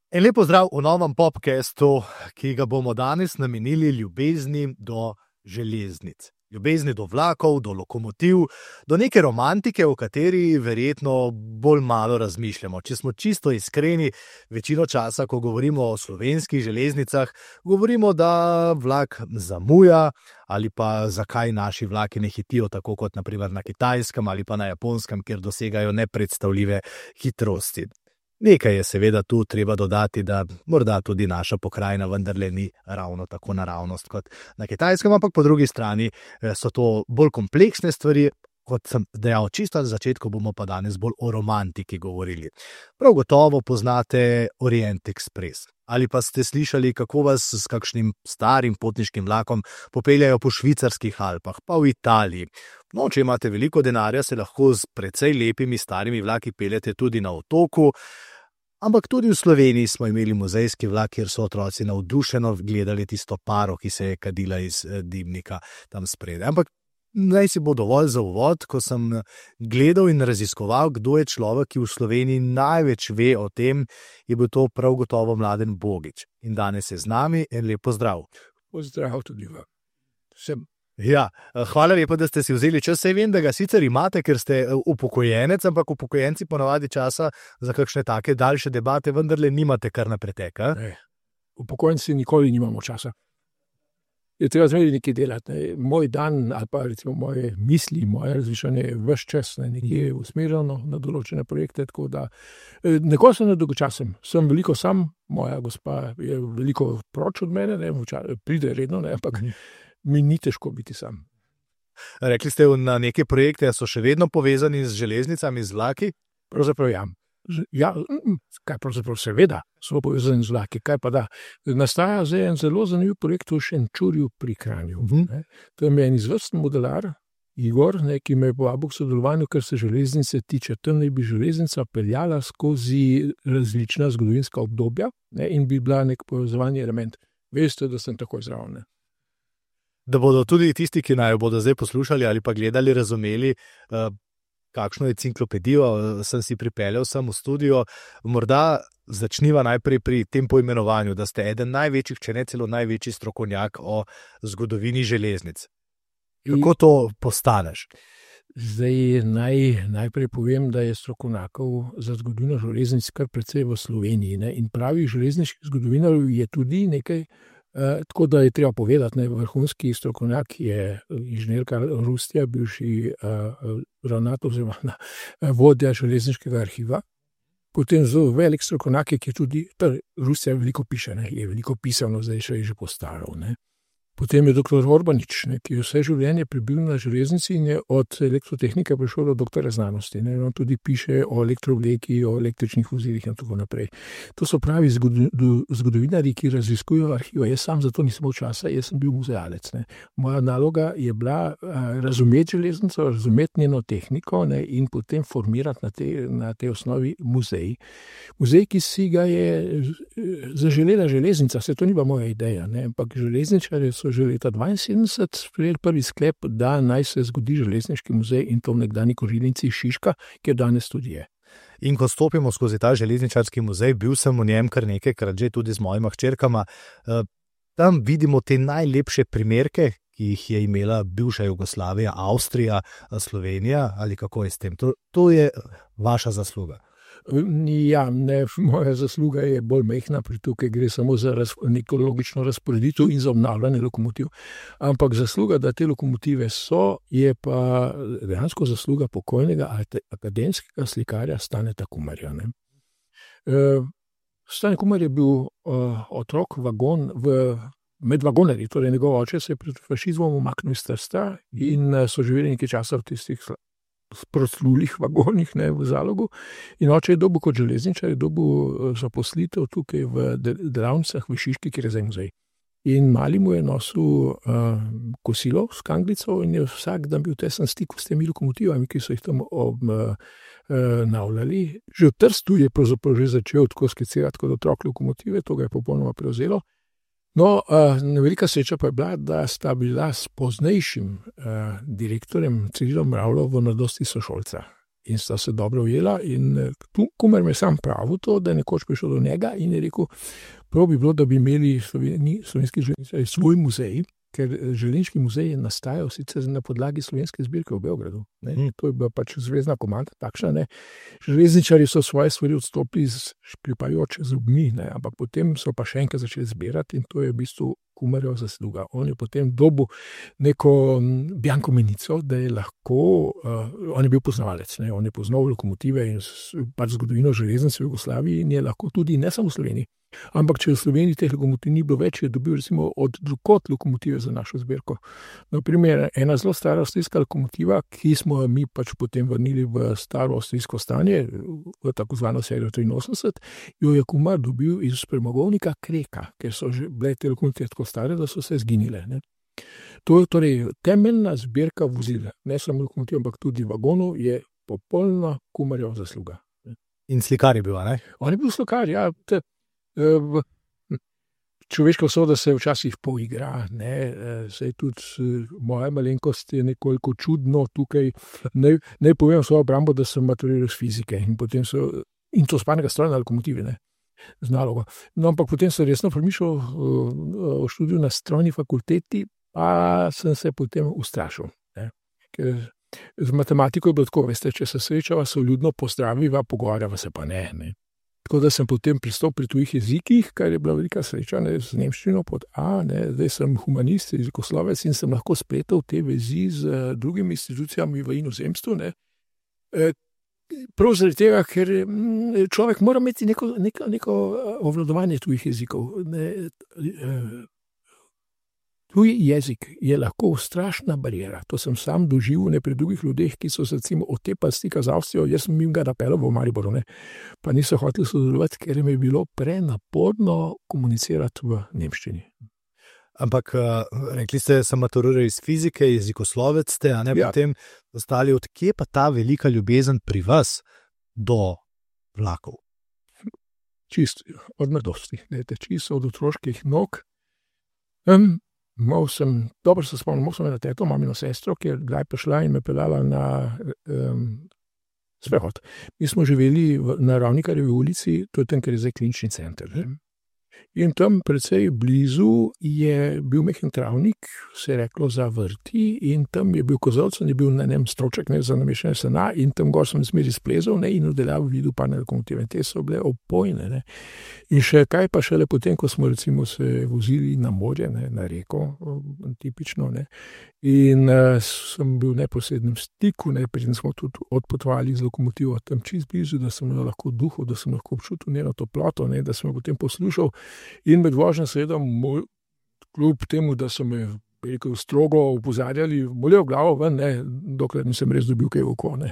En lep pozdrav v novem podcastu, ki ga bomo danes namenili ljubezni do železnic. Ljubezni do vlakov, do lokomotiv, do neke romantike, o kateri verjetno bolj malo razmišljamo. Če smo čisto iskreni, večino časa, ko govorimo o slovenskih železnicah, govorimo, da vlak zamuja ali pa zakaj naši vlaki ne hitijo tako kot naprimer na Kitajskem ali pa na Japonskem, kjer dosegajo nepredstavljive hitrosti. Nekaj je seveda tu treba dodati, da morda tudi naša pokrajina vendarle ni ravno tako naravnost kot na Kitajskem, ampak po drugi strani so to bolj kompleksne stvari, kot sem dejal čisto na začetku, bomo pa danes bolj o romantiki govorili. Prav gotovo poznate Orient Express. Ali pa ste slišali, kako vas s kakšnim starim potniškim vlakom popeljajo po švicarskih Alpah, pa v Italiji. No, če imate veliko denarja, se lahko z precej lepimi starimi vlaki peljete tudi na otoku, ampak tudi v Sloveniji smo imeli muzejski vlak, kjer so otroci navdušeno gledali tisto paro, ki se je kadila iz dimnika tam spredaj. Ampak naj si bo dovolj za uvod, ko sem gledal in raziskoval, kdo je človek, ki v Sloveniji največ ve o tem, je bil to prav gotovo Mladen Bogić. In danes je z nami, en lep pozdrav. Pozdrav tudi vam. Ja, hvala lepa, da ste si vzeli čas. Saj vem, da ga sicer imate, ker ste upokojenec, ampak upokojenci ponavadi časa za kakšne take daljše debate vendarle nimate kar na pretek. Upokojenci nikoli nimamo časa. Je treba zmeraj nekaj delati. Ne. Moj dan ali pa recimo moje misli, moje razmišljanje je ves čas nekje usmerjeno na določene projekte, tako da nekoliko sem nedolgočasen. Sem veliko sam, moja gospa je veliko proč od mene, ne, pride redno, ne, ampak mi ni težko biti sam. Rekli ste na neke projekte, so še vedno povezani z železnicami, z vlaki? Pravzaprav ja. Ja, kaj pravzaprav seveda so povezani z vlaki, kaj pa da. Nastaja zdaj en zelo zanimiv projekt v Šenčurju pri Kranju. To je en izvrsten modelar, Igor, ki me je povabil k sodelovanju, ker se železnice tiče. Tam naj bi železnica peljala skozi različna zgodovinska obdobja, in bi bila nek povezovalni element. Veste, da sem takoj zraven. Da bodo tudi tisti, ki naj jo bodo zdaj poslušali ali pa gledali, razumeli, kakšno enciklopedijo sem si pripeljal sem v studio. Morda začniva najprej pri tem poimenovanju, da ste eden največjih, če ne celo največji strokovnjak o zgodovini železnic. Kako to postaneš? Zdaj najprej povem, da je strokovnjakov za zgodovino železnic kar precej v Sloveniji. In pravih železniških zgodovinarjev je tudi nekaj, tako da je treba povedati, vrhunski strokovnjak je inženir Karl Rustja, bivši ravnatelj oziroma vodja železniškega arhiva. Potem zelo velik strokovnjak, ki je tudi, Rustja veliko piše, je veliko pisano, zdaj še je že postaral. Potem je dr. Orbanič, ki je vse življenje prebil na železnici in je od elektrotehnike prišel do doktora znanosti. On tudi piše o elektrovleki, o električnih vozilih in tako naprej. To so pravi zgodovinarji, ki raziskujejo arhive. Jaz sam za to nisem imel časa, jaz sem bil muzealec. Moja naloga je bila razumeti železnico, razumeti njeno tehniko in potem formirati na tej osnovi muzej. Muzej, ki si ga je zaželela železnica, se to ni bila moja ideja, ampak železničarji so že leta 1972 sprejeli prvi sklep, da naj se zgodi železniški muzej in to v nekdanji korilnici Šiška, kjer danes tudi je. In ko stopimo skozi ta železničarski muzej, bil sem v njem kar nekajkrat že tudi z mojima hčerkama, tam vidimo te najlepše primerke, ki jih je imela bivša Jugoslavija, Avstrija, Slovenija, ali kako je s tem? To je vaša zasluga. Ja, moja zasluga je bolj majhna, pri tukaj gre samo za neko logično razporeditev in za obnavljanje lokomotiv. Ampak zasluga, da te lokomotive so, je pa dejansko zasluga pokojnega akademskega slikarja Staneta Kumarja. Stane Kumar je bil otrok med vagonarji, torej njegov oče se je pred fašizmom umaknil iz Trsta in so živeli nekaj časa v tistih proslulih vagonih v Zalogu. In oče je dobil kot železničar, je dobil zaposlitev tukaj v delavnicah v Šiški, kjer je zdaj muzej. In mali mu je nosil kosilo s kanglico in je vsak dan bil tesen stik s temi lokomotivami, ki so jih tam navljali. Že v Trstu je pravzaprav že začel tako skicirati kot otrok lokomotive, to ga je popolnoma prevzelo. No, velika sreča pa je bila, da sta bila s poznejšim direktorjem Cirilom Mravljo v mladosti sošolca. in sta se dobro ujela. In tu Kumer me sam pravil to, da je nekoč prišel do njega in je rekel, prav bi bilo, da bi imeli slovenski železničarji svoj muzej, ker železniški muzej je nastajal sicer na podlagi slovenske zbirke v Beogradu. To je bila pač zvezna komanda, takšna. Ne. Železničarji so svoje stvari odstopili z škripajoč zobmi, ne, ampak potem so pa še enkrat začeli zbirati in to je v bistvu Kumerjeva zasluga. On je potem dobil neko bianko menico, da je lahko, on je bil poznavalec, ne, on je poznal lokomotive in pač zgodovino železnic v Jugoslaviji in je lahko tudi ne samo v Sloveniji. Ampak če v Sloveniji teh lokomotiv ni bilo več, je dobil recimo od drugod lokomotive za našo zbirko. Naprimer, ena zelo stara avstrijska lokomotiva, ki smo mi pač potem vrnili v staro avstrijsko stanje, v tako zvano serijo 83, jo je Kumer dobil iz premogovnika Kreka, ker so že bile te lokomotive tako stare, da so se zginile. Ne. To je torej temeljna zbirka vozil, ne samo lokomotiv, ampak tudi vagonov, je popolna Kumerjeva zasluga. In slikar je bil, ne? On je bil slikar, ja. Človeška usoda se včasih poigra, ne, saj tudi moja malenkost je nekoliko čudno tukaj. Naj povem svojo obrambo, da sem maturiral iz fizike in potem in to spanega stroja na lokomotivi, ne, z nalogo. No, ampak potem sem resno premišljal o študiju na strojni fakulteti, pa sem se potem ustrašil, ne, ker z matematiko je bilo tako, veste, če se srečava, se vljudno pozdraviva, pogovarjava se pa ne. Tako da sem potem pristal pri tujih jezikih, kar je bila velika sreča, ne, z nemščino pod A, ne, zdaj sem humanist, jezikoslovec in sem lahko spletel te vezi z drugimi institucijami v inozemstvu, ne. Prav zaradi tega, ker človek mora imeti neko obvladovanje tujih jezikov. Tuj jezik je lahko strašna bariera. To sem sam doživel ne pri drugih ljudeh, ki so se recimo otepali stika z Avstrijo. Jaz sem jim ga napeljal v Mariboru, ne, pa niso hoteli sodelovati, ker jim je bilo prenaporno komunicirati v nemščini. Ampak rekli ste, sem maturiral iz fizike, jezikoslovec ste, a ne, potem ostali, odkje pa ta velika ljubezen pri vas do vlakov? Čisto od mladosti, čisto od otroških nog. Dobro se spomnim, imel sem eno teto, mamino sestro, ki je kdaj prišla in me peljala na sprehod. Mi smo živeli na Ravnikarjevi ulici, to je tam, kjer je zdaj klinični center. In tam precej blizu je bil mehen travnik, se je reklo za vrti, in tam je bil kozolc, je bil na enem stroček, ne, za nameščanje sena, in tam gor sem zmeri splezal, ne, in oddelal videl parne lokomotive. Te so bile opojne, ne. In še kaj pa šele potem, ko smo recimo se vozili na morje, ne, na reko, tipično, ne, in sem bil v neposrednem stiku, ne, preden smo tudi odpotovali z lokomotivo tam čist blizu, da sem lahko duhal, da sem lahko občutil njeno toploto, ne, da sem jo potem poslušal. In med vožnjo seveda, kljub temu, da so me strogo opozarjali, molel glavo ven, ne, dokler nisem res dobil kaj v oko, ne.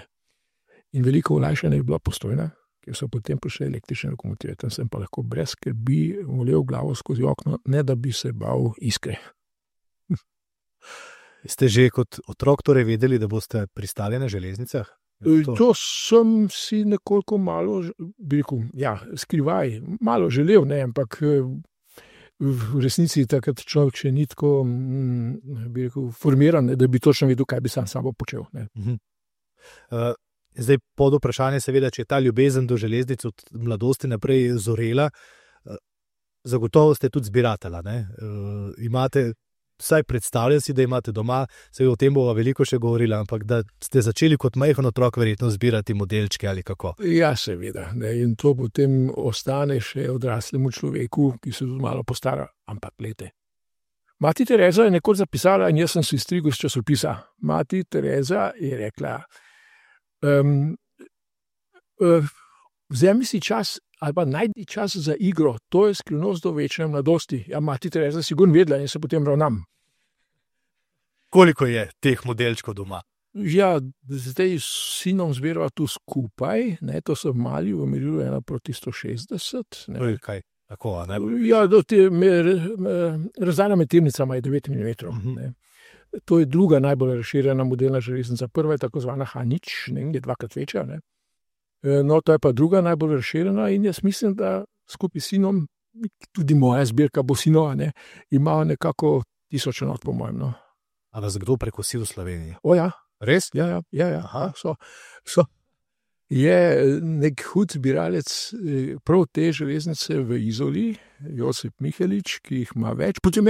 In veliko olajšanje je bila Postojna, ker so potem prišle električne lokomotive. Tam sem pa lahko brez skrbi molel glavo skozi okno, ne da bi se bal iskre. Ste že kot otrok torej vedeli, da boste pristali na železnicah? To sem si nekoliko malo, bi rekel, ja, skrivaj, malo želel, ne, ampak v resnici takrat človek še ni tako, bi rekel, formiran, da bi točno vedel, kaj bi sam sabo počel. Ne. Zdaj pod vprašanje seveda, če je ta ljubezen do železnic od mladosti naprej zorela, zagotovo ste tudi zbiratelja, ne? Imate, vsaj predstavljam si, da imate doma, se o tem bova veliko še govorila, ampak da ste začeli kot majhen otrok verjetno zbirati modelčke ali kako? Ja, seveda, ne, in to potem ostane še odraslemu človeku, ki se tudi malo postara, ampak glejte. Mati Tereza je nekoč zapisala, in jaz sem si strigel z časopisa, Mati Tereza je rekla, vzemi si čas ali pa najdi čas za igro, to je skrivnost do večne mladosti. Ja, Mati Tereza sigurno vedela in se potem ravnam. Koliko je teh modelčkov doma? Ja, zdaj s sinom zbirava tu skupaj, ne, to so mali, v merilu 1:160. Ne. Kaj? Tako, ne? Ja, razdalja med tirnicama je 9 mm. Ne. To je druga najbolj razširjena modelna železnica. Prva je tako zvana Hanič, ne, je dvakrat večja, ne. No, to je pa druga najbolj razširjena in jaz mislim, da skupaj s sinom, tudi moja zbirka bo sinova, ne, ima nekako 1000 enot, po mojem, no. A vas kdo prekosil v Sloveniji? O ja. Res? Ja. So. je nek hud zbiralec prav te železnice v Izoli, Josip Mihelič, ki jih ima več. Potem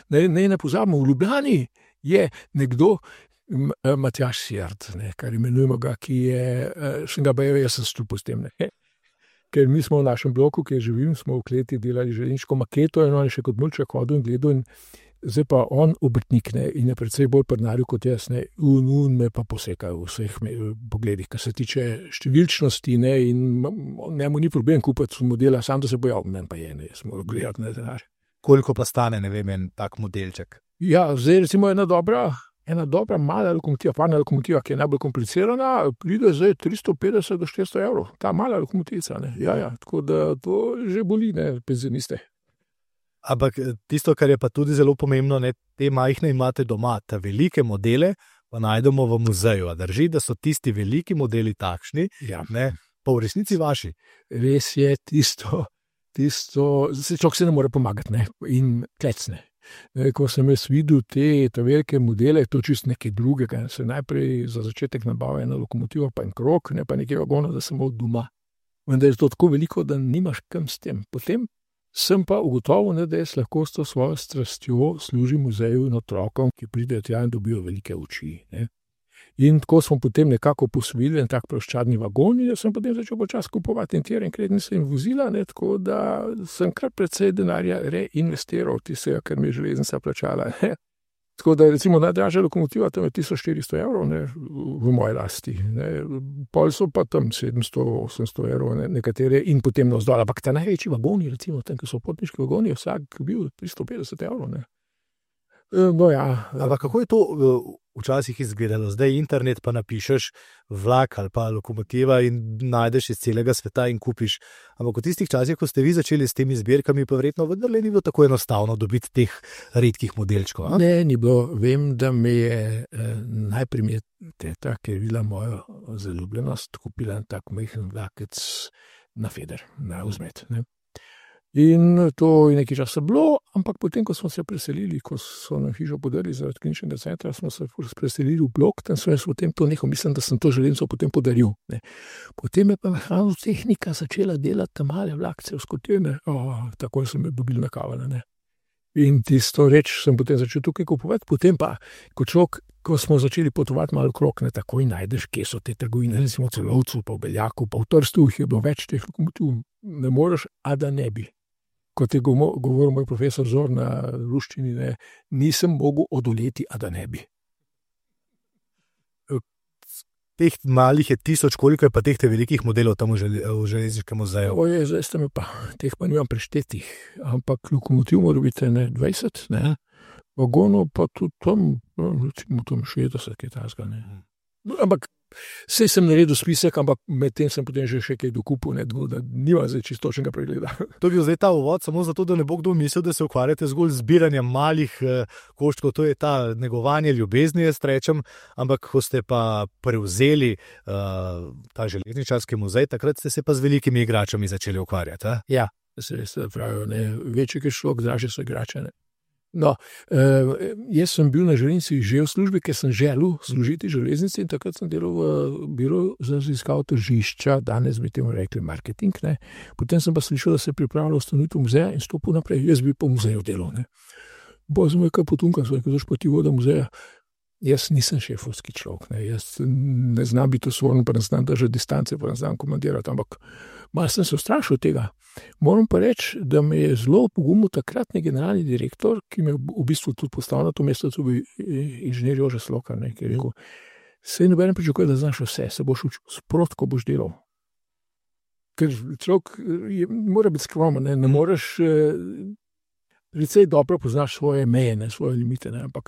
ne pozabimo, v Ljubljani je nekdo, Matjaž Sjard, kar imenujemo ga, ki je, sem ga bajal, jaz sem stupil s tem. Ker mi smo v našem bloku, kjer živim, smo v kleti delali železniško maketo in on je še kot mulček hodil in gledal in zdaj pa on obrtnik in je precej bolj prdnaril kot jaz, un me pa poseka v vseh pogledih, kar se tiče številčnosti in njemu ni problem kupiti modela, sam da se boja, men pa je, jaz moram gledati na denar. Koliko pa stane, ne vem, en tak modelček? Ja, zdaj recimo ena dobra mala lokomotiva, parna lokomotiva, ki je najbolj komplicirana, pride zdaj 350 do 400 evrov, ta mala lokomotiva, ja, tako da to že boli, penzioniste. Ampak tisto, kar je pa tudi zelo pomembno, te majhne imate doma, te velike modele pa najdemo v muzeju. A drži, da so tisti veliki modeli takšni, pa v resnici vaši? Res je tisto, človek se ne more pomagati, in klecne. Ko sem jaz videl te velike modele, to čist nekaj drugega. Se najprej za začetek nabavlja ena lokomotiva, pa en krog, ne pa nekaj vagona, da sem imel doma. Vendar je to tako veliko, da nimaš kam s tem. Potem sem pa ugotovil, da jaz lahko s to svojo strastjo služim muzeju in otrokom, ki pridejo tja in dobijo velike oči. In tako smo potem nekako posvojili en tak ploščadni vagon in sem potem začel počasi kupovati in krednice in vozila, tako da sem kar precej denarja reinvestiral tistega, kar mi je železnica plačala. Tako da recimo najdražja lokomotiva tam je 1400 evrov v moji lasti. Pol so pa tam 700-800 evrov nekatere in potem navzdol. Ampak ta največji vagoni, recimo tam, ki so potniški vagoni, vsak bil 350 evrov. Ampak kako je to včasih izgledalo? Zdaj internet pa napišeš vlak ali pa lokomotiva in najdeš iz celega sveta in kupiš. Ampak v tistih časih, ko ste vi začeli s temi zbirkami, pa verjetno vendarle ni bilo tako enostavno dobiti teh redkih modelčkov. Ne, ni bilo. Vem, da me je najprej teta, ki je bila moja zaljubljenost, kupila en tak majhen vlakec na Feder, na vzmet. In to je nekaj časa bilo, ampak potem, ko smo se preselili, ko so nam hišo podarili zaradi kliničnega centra, smo se preselili v blok, tam sem jaz potem to nehal, mislim, da sem to železnico potem podaril. Potem je pa mehanotehnika začela delati ta male vlakce v skotine, tako sem jo dobil na kavale. In tisto reč sem potem začel tukaj kupovati, potem pa, ko smo začeli potovati malo krok, takoj najdeš, kje so te trgovine, recimo v Celovcu, pa v Beljaku, pa v Trstu, je bilo več teh lokomotiv, ne moreš, a da ne bi. Kot je govoril moj profesor Zor na ruščini, nisem mogel odoleti, a da ne bi. Teh malih je 1000, koliko je pa teh velikih modelov tam v železniškem muzeju? Zdaj ste me pa, teh pa nimam preštetih, ampak lokomotiv mora biti 20, vagonov pa tudi tam, recimo tam 60, kaj tazga. Ampak sej sem naredil spisek, ampak med tem sem potem že še kaj dokupil, da nima zdaj čistočnega pregleda. To je bil zdaj ta uvod, samo zato, da ne bo kdo mislil, da se ukvarjate zgolj z zbiranjem malih koščkov, to je ta negovanje ljubezni, jaz rečem, ampak ko ste pa prevzeli ta železničarski muzej, takrat ste se pa z velikimi igračami začeli ukvarjati. Ja, se pravijo, večji je šlok, dražje so igrače. No, jaz sem bil na železnici že v službi, ker sem želel služiti železnici in takrat sem delal v biroju za raziskavo tržišča, danes bi temu rekli marketing. Potem sem pa slišal, da se pripravlja ustanovitev muzeja in stopil naprej, jaz bi po muzeju delal. Bolj sem kaj potunkal, zaš pa ti voda muzeja. Jaz nisem šefovski človek, jaz ne znam biti osvoren, pa ne znam držati distance, pa ne znam komandirati, ampak malo sem se ustrašil tega. Moram pa reči, da me je zelo pogumil takratni generalni direktor, ki me v bistvu tudi postavil na to mesto, to bi inženir Jože Slokar, ki je rekel, sej noben pričakuje, da znaš vse, se boš učil sprot, ko boš delal. Ker človek mora biti skromen, ne moreš... Precej dobro poznaš svoje meje, svoje limite, ampak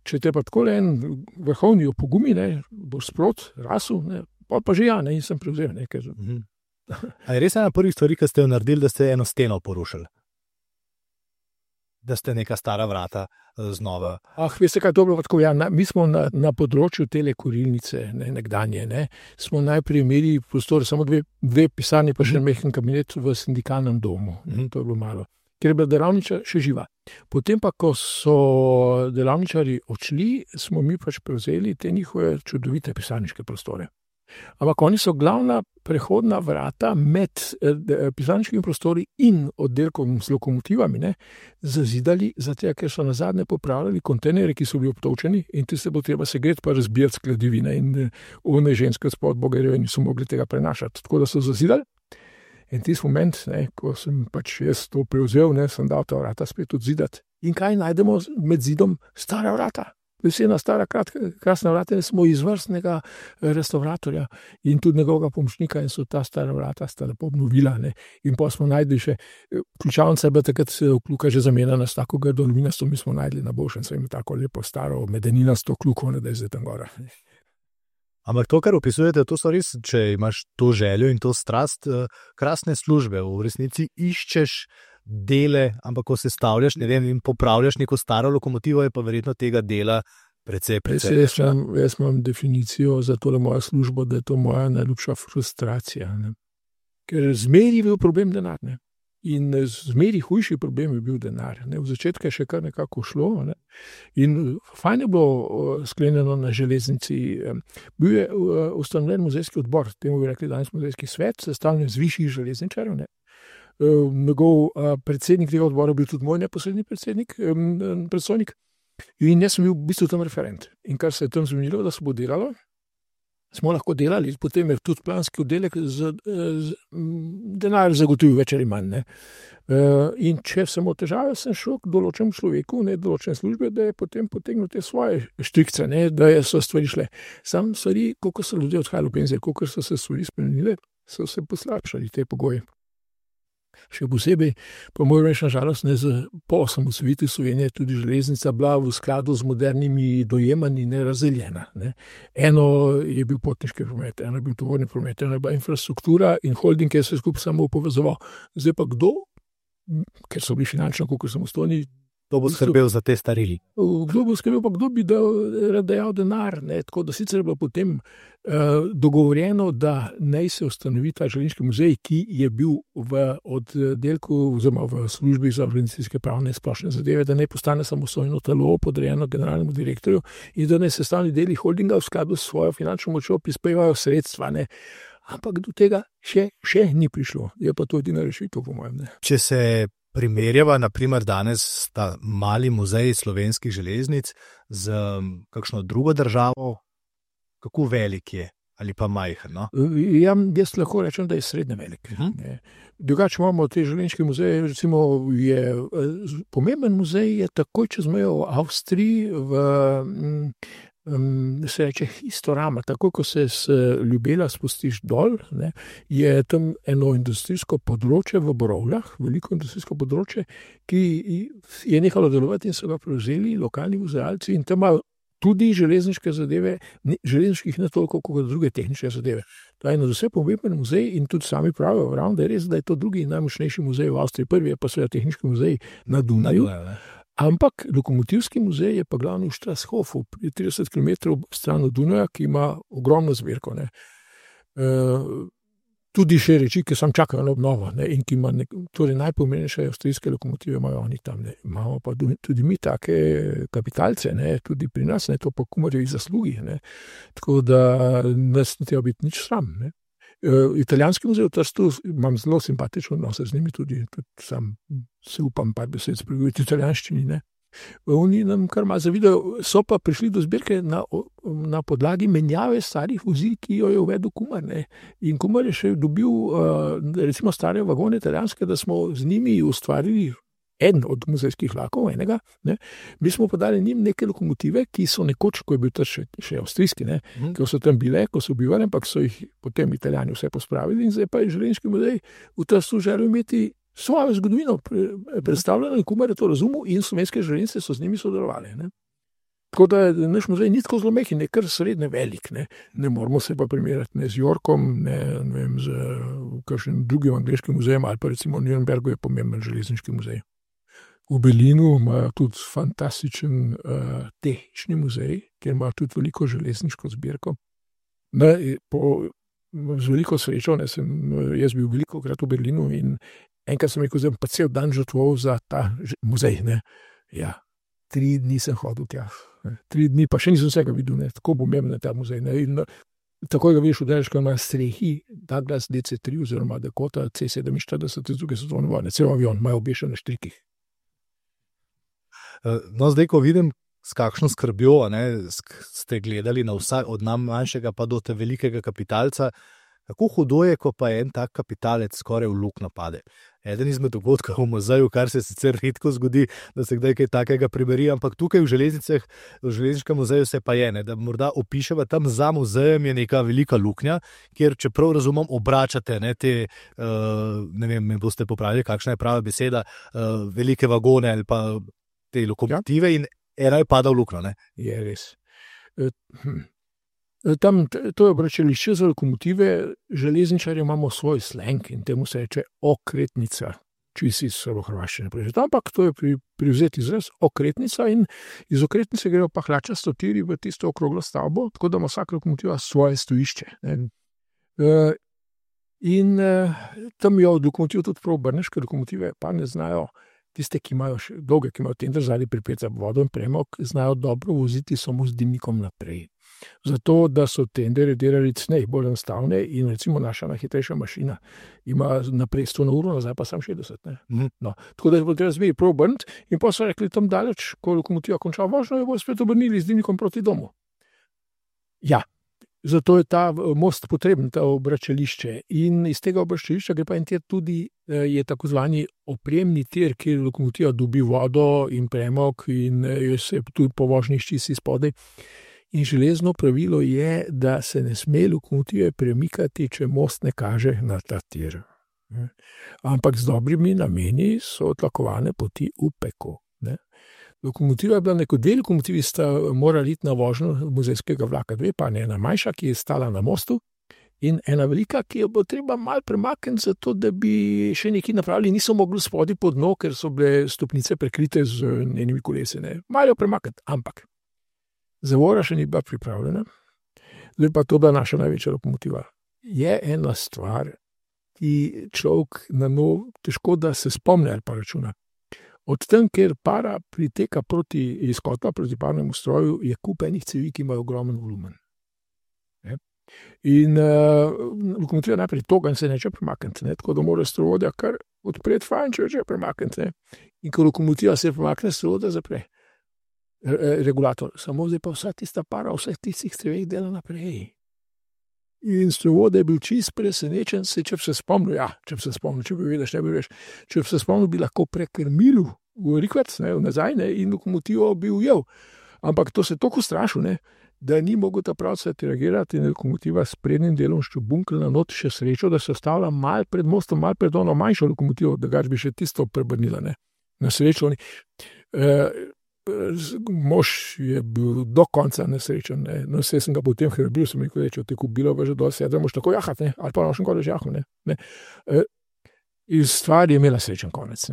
če te pa tako en vrhovni opogumi, boš sprot, rasel, pa že in sem prevzel nekaj. A je res ena prvih stvari, ki ste jo naredili, da ste eno steno porušili? Da ste neka stara vrata znova? Veste kaj, dobro, tako, mi smo na področju tele kurilnice, nekdanje, smo najprej imeli prostor, samo dve pisarni, pa že mehen kabinet v sindikalnem domu. To je bilo malo. Ker je bila delavnica še živa. Potem pa, ko so delavničari odšli, smo mi pač prevzeli te njihove čudovite pisarniške prostore. Ampak oni so glavna prehodna vrata med pisarniškimi prostori in oddelkom z lokomotivami, ne, zazidali, zato ker so nazadnje popravljali kontejnerje, ki so bili obtočeni, in ti se bo treba segreti pa razbijati skladivine, in one ženske spod Bogerjeve niso mogli tega prenašati. Tako da so zazidali. In tisti moment, ne, ko sem pač jaz to prevzel, ne, sem dal ta vrata spet odzidati. In kaj najdemo med zidom? Stara vrata. Vesena, stara, krasna vrata, smo izvrstnega restauratorja in tudi njegovega pomočnika, in so ta stara vrata sta lepo obnovila. Ne. In pa smo najdli še, ključavnica je bila takrat kljuka že zamenjana s tako grdo aluminijasto, mi smo najdli na boljšem, so imeli tako lepo staro medeninasto kljuko, da je zdaj tam gora. Ampak to, kar opisujete, to so res, če imaš to željo in to strast, krasne službe. V resnici iščeš dele, ampak ko se stavljaš, ne vem, in popravljaš neko staro lokomotivo, je pa verjetno tega dela precej. Jaz imam definicijo za tole mojo službo, da je to moja najljubša frustracija. Ne? Ker zmeri je bil problem denar. Ne? In zmeri hujši problem je bil denar. Ne? V začetku je še kar nekako šlo. Ne? In fajn je bilo sklenjeno na železnici. Bil je ustanovljen muzejski odbor, temu bi rekli danes muzejski svet, sestavljen iz višjih železničarjev. Ne? Njegov predsednik tega odbora bil tudi moj neposredni predstojnik. In jaz sem bil v bistvu tam referent. In kar se je tam zmenilo, da se bo delalo, smo lahko delali, potem je tudi planski oddelek denar zagotovil več ali manj. Ne. In če sem v težave, sem šel k določenemu človeku, ne določene službe, da je potem potegnil te svoje štrikce, ne, da so stvari šle. Sam stvari, koliko so ljudje odhajali v penzijo, koliko so se stvari spremenile, so se poslabšali te pogoje. Še posebej, pa moram reči, nažalost, po osamosvojitvi Slovenije tudi železnica bila v skladu z modernimi dojemanji nerazdeljena. Ne. Eno je bil potniški promet, eno je bil tovorni promet, eno je bila infrastruktura in holding, ki je se skupaj samo povezoval. Zdaj pa kdo, ker so bili finančno koliko samostojni, kdo bo skrbel za te starili? Kdo bo skrbel, pa kdo bi dajal denar. Ne? Tako da sicer je bilo potem dogovorjeno, da naj se ustanovi ta železniški muzej, ki je bil v oddelku oziroma v službi za organizacijske pravne splošne zadeve, da naj postane samostojno telo podrejeno generalnemu direktorju in da naj sestavni deli holdinga v skladu s svojo finančno močjo prispevajo sredstva. Ne? Ampak do tega še ni prišlo. Je pa to edina rešitev, po mojem. Ne? Če se primerjava, naprimer danes ta mali muzej slovenskih železnic z kakšno drugo državo, kako velik je ali pa majhen? No? Jaz lahko rečem, da je srednje velik. Drugače imamo te železniške muzeje, recimo pomemben muzej je takoj čez mejo v Avstriji, se reče Historama, tako ko se z Ljubela spustiš dol, ne, je tam eno industrijsko področje v Borovljah, veliko industrijsko področje, ki je nehalo delovati in so ga prevzeli lokalni muzealci in tam imajo tudi železniške zadeve, železniških ne toliko kot druge tehnične zadeve. To je vse pomemben muzej in tudi sami pravijo, da je res, da je to drugi najmočnejši muzej v Avstriji, prvi je pa seveda tehniški muzej na Dunaju. Ampak lokomotivski muzej je pa glavni v Strasshofu, 30 km stran od Dunaja, ki ima ogromno zbirko. Ne. Tudi še reči, ki sam čakajo na obnovo, ne, in ki ima torej najpomembnejše avstrijske lokomotive, imajo oni tam. Ne. Imamo pa tudi mi take kapitalce, ne, tudi pri nas, ne, to pa Kumarjevi zaslugi. Ne. Tako da nas ne treba biti nič sram. Ne. Italijanski muzej v Trstu imam zelo simpatično odnose z njimi, tudi sam se upam par besed spregovoriti v italijanščini. Ne. Oni nam kar malo zavidajo, so pa prišli do zbirke na podlagi menjave starih vozil, ki jo je uvedel Kumar. Ne. In Kumar je še dobil recimo stare vagone italijanske, da smo z njimi ustvarili en od muzejskih vlakov, enega. Ne. Mi smo podali njim neke lokomotive, ki so nekoč, ko je bil še avstrijski, ne, ki so tam bile, ko so bivali, ampak so jih potem Italijani vse pospravili in zdaj pa je železniški muzej v Trstu želel imeti svojo zgodovino predstavljeno in Kumar je to razumel in slovenske železnice so z njimi sodelovali. Ne. Tako da naš muzej ni tako zelo mehki, ne kar srednje velik. Ne moramo se pa primerjati ne z Yorkom, ne vem, z kakšnim drugim angleškim muzejem ali pa recimo v Nürnbergu je pomemben železniški muzej. V Berlinu imajo tudi fantastičen tehnični muzej, kjer imajo tudi veliko železniško zbirko. Z veliko srečo, jaz bil veliko krat v Berlinu in enkrat sem rekel, pa cel dan žrtvoval za ta muzej. Ne. Ja, 3 dni sem hodil tja. 3 dni, pa še nisem vsega videl, ne. Tako pomemben je ta muzej. Ne. In Takoj ga vidiš, udariš, ko ima strehi Douglas DC-3 oziroma Dakota C-47 iz druge svetovne vojne. Cel avion imajo obešen na štrikih. No, zdaj, ko vidim, s kakšno skrbjo ste gledali na vsak, od najmanjšega pa do te velikega kapitalca, kako hudo je, ko pa en tak kapitalec skoraj v luknjo pade. Eden izmed dogodkov v muzeju, kar se sicer redko zgodi, da se kdaj kaj takega priberi, ampak tukaj v železnicah, v železniškem muzeju se pa je, da morda opiševa, tam za muzejem je neka velika luknja, kjer, čeprav razumem, obračate te, ne vem, me boste popravili, kakšna je prava beseda, velike vagone ali pa te lokomotive in ena je pada v luknjo. Je res. Tam, to je obračališče za lokomotive, železničarji imamo svoj slang in temu se reče okretnica, če si srbohrvaščine prežeti. Ampak to je privzeti izraz okretnica in iz okretnice grejo pa hlačasto tiri v tisto okroglo stavbo, tako da ima vsak lokomotiva svoje stojišče. In tam je od lokomotiv tudi prav obrneš, ker lokomotive pa ne znajo, tiste, ki imajo dolge, ki imajo tender zadnji pripet za vodo in premog, znajo dobro voziti samo z dimnikom naprej. Zato, da so tendere delali cnej, bolj enostavne in recimo naša najhitrejša mašina ima naprej 100 na uro, nazaj pa sam 60. No, tako da je treba zmeri prav obrniti in pa so rekli tam daleč, ko lokomotiva konča vožnjo, jo bo spet obrnili z dimnikom proti domu. Ja, zato je ta most potreben, ta obračališče in iz tega obračališča gre pa en tir tudi, je tako zvani opremni tir, kjer lokomotiva dobi vodo in premog in se tudi po vožnji ščisi spodaj. In železno pravilo je, da se ne sme lokomotive premikati, če most ne kaže na ta tir. Ampak z dobrimi nameni so tlakovane poti v peko. Lokomotiva je bila dve lokomotivi sta morali iti na vožnjo muzejskega vlaka, dve pa ne, ena manjša, ki je stala na mostu in ena velika, ki jo bo treba malo premakniti, zato da bi še nekaj napravili, niso mogli spodaj pod dno, ker so bile stopnice prekrite z enimi kolesi. Malo jo premakniti, ampak zavora še ni bila pripravljena, zdaj pa to bila naša največja lokomotiva. Je ena stvar, ki človek na nov težko, da se spomne ali pa računa. Od tam, kjer para priteka iz kotla proti parnemu stroju, je kup enih cevi, ki imajo ogromen volumen. In lokomotiva najprej toga in se neče premakniti, tako da mora strovodja kar odpreti fajn, če premakniti. In ko lokomotiva se premakne, strovodja zapre regulator. Samo zdaj pa vsa tista para, vseh tistih ceveh dela naprej. In strovodja je bil čist presenečen, če bi se spomnil, če bi vedel, če bi se spomnil, bi lahko prekrmil v rikverc, nazaj, in lokomotivo bi ujel. Ampak to se toliko strašil, da ni mogel ta pravce reagirati in lokomotiva s prednjim delom ščubunkla na not, še srečo, da se ostavlja mal pred mostom, mal pred ono manjšo lokomotivo, da gač bi še tisto prebrnila. Na srečo mož je bil do konca nesrečen. No, vse sem ga potem hrbil, sem rekel, če te kubilo pa že dol sedem, moš tako jahati, ali pa nošem kole žahu. In stvar je imela srečen konec.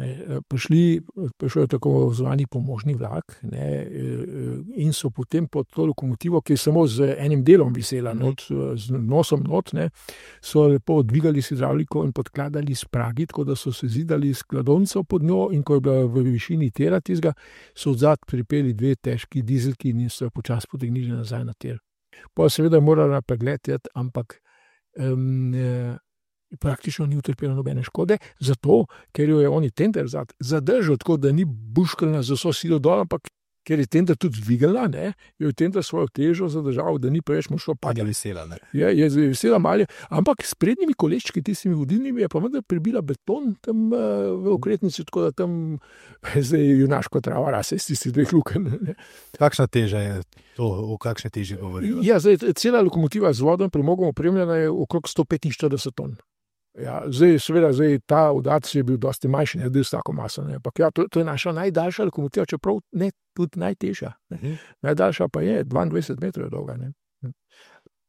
Prišel je tako zvani pomožni vlak in so potem pod to lokomotivo, ki je samo z enim delom visela, z nosom not, so lepo odvigali s hidravliko in podkladali s pragi, tako da so se zidali skladonco pod njo in ko je bila v višini tira tizga, so odzad pripeli dve težki dizelki in so počas potegnili nazaj na tir. Pa seveda je morala pregledati, ampak praktično ni utrpela nobene škode, zato, ker jo je oni tender zadržal, tako da ni buškalna z vso silo dol, ampak ker je tender tudi dvigala, jo je tender svojo težo zadržal, da ni preveč močno padla. Je vesela malje, ampak s prednjimi koleščki, tistimi vodilnimi, je pa vendar prebila beton tam v okretnici, tako da tam zdaj junaško trava rase s tistih dveh luken. Kakšna teža je to, o kakšne teži govorijo? Ja, zdaj, cela lokomotiva z vodom premogom opremljena je okrog 145 ton. Ja, zdaj ta udarc je bil dosti manjši, ne bil s tako maso. Ampak ja, to je naša najdaljša lokomotiva, čeprav ne tudi najtežja. Najdaljša pa je 22 metrov dolga.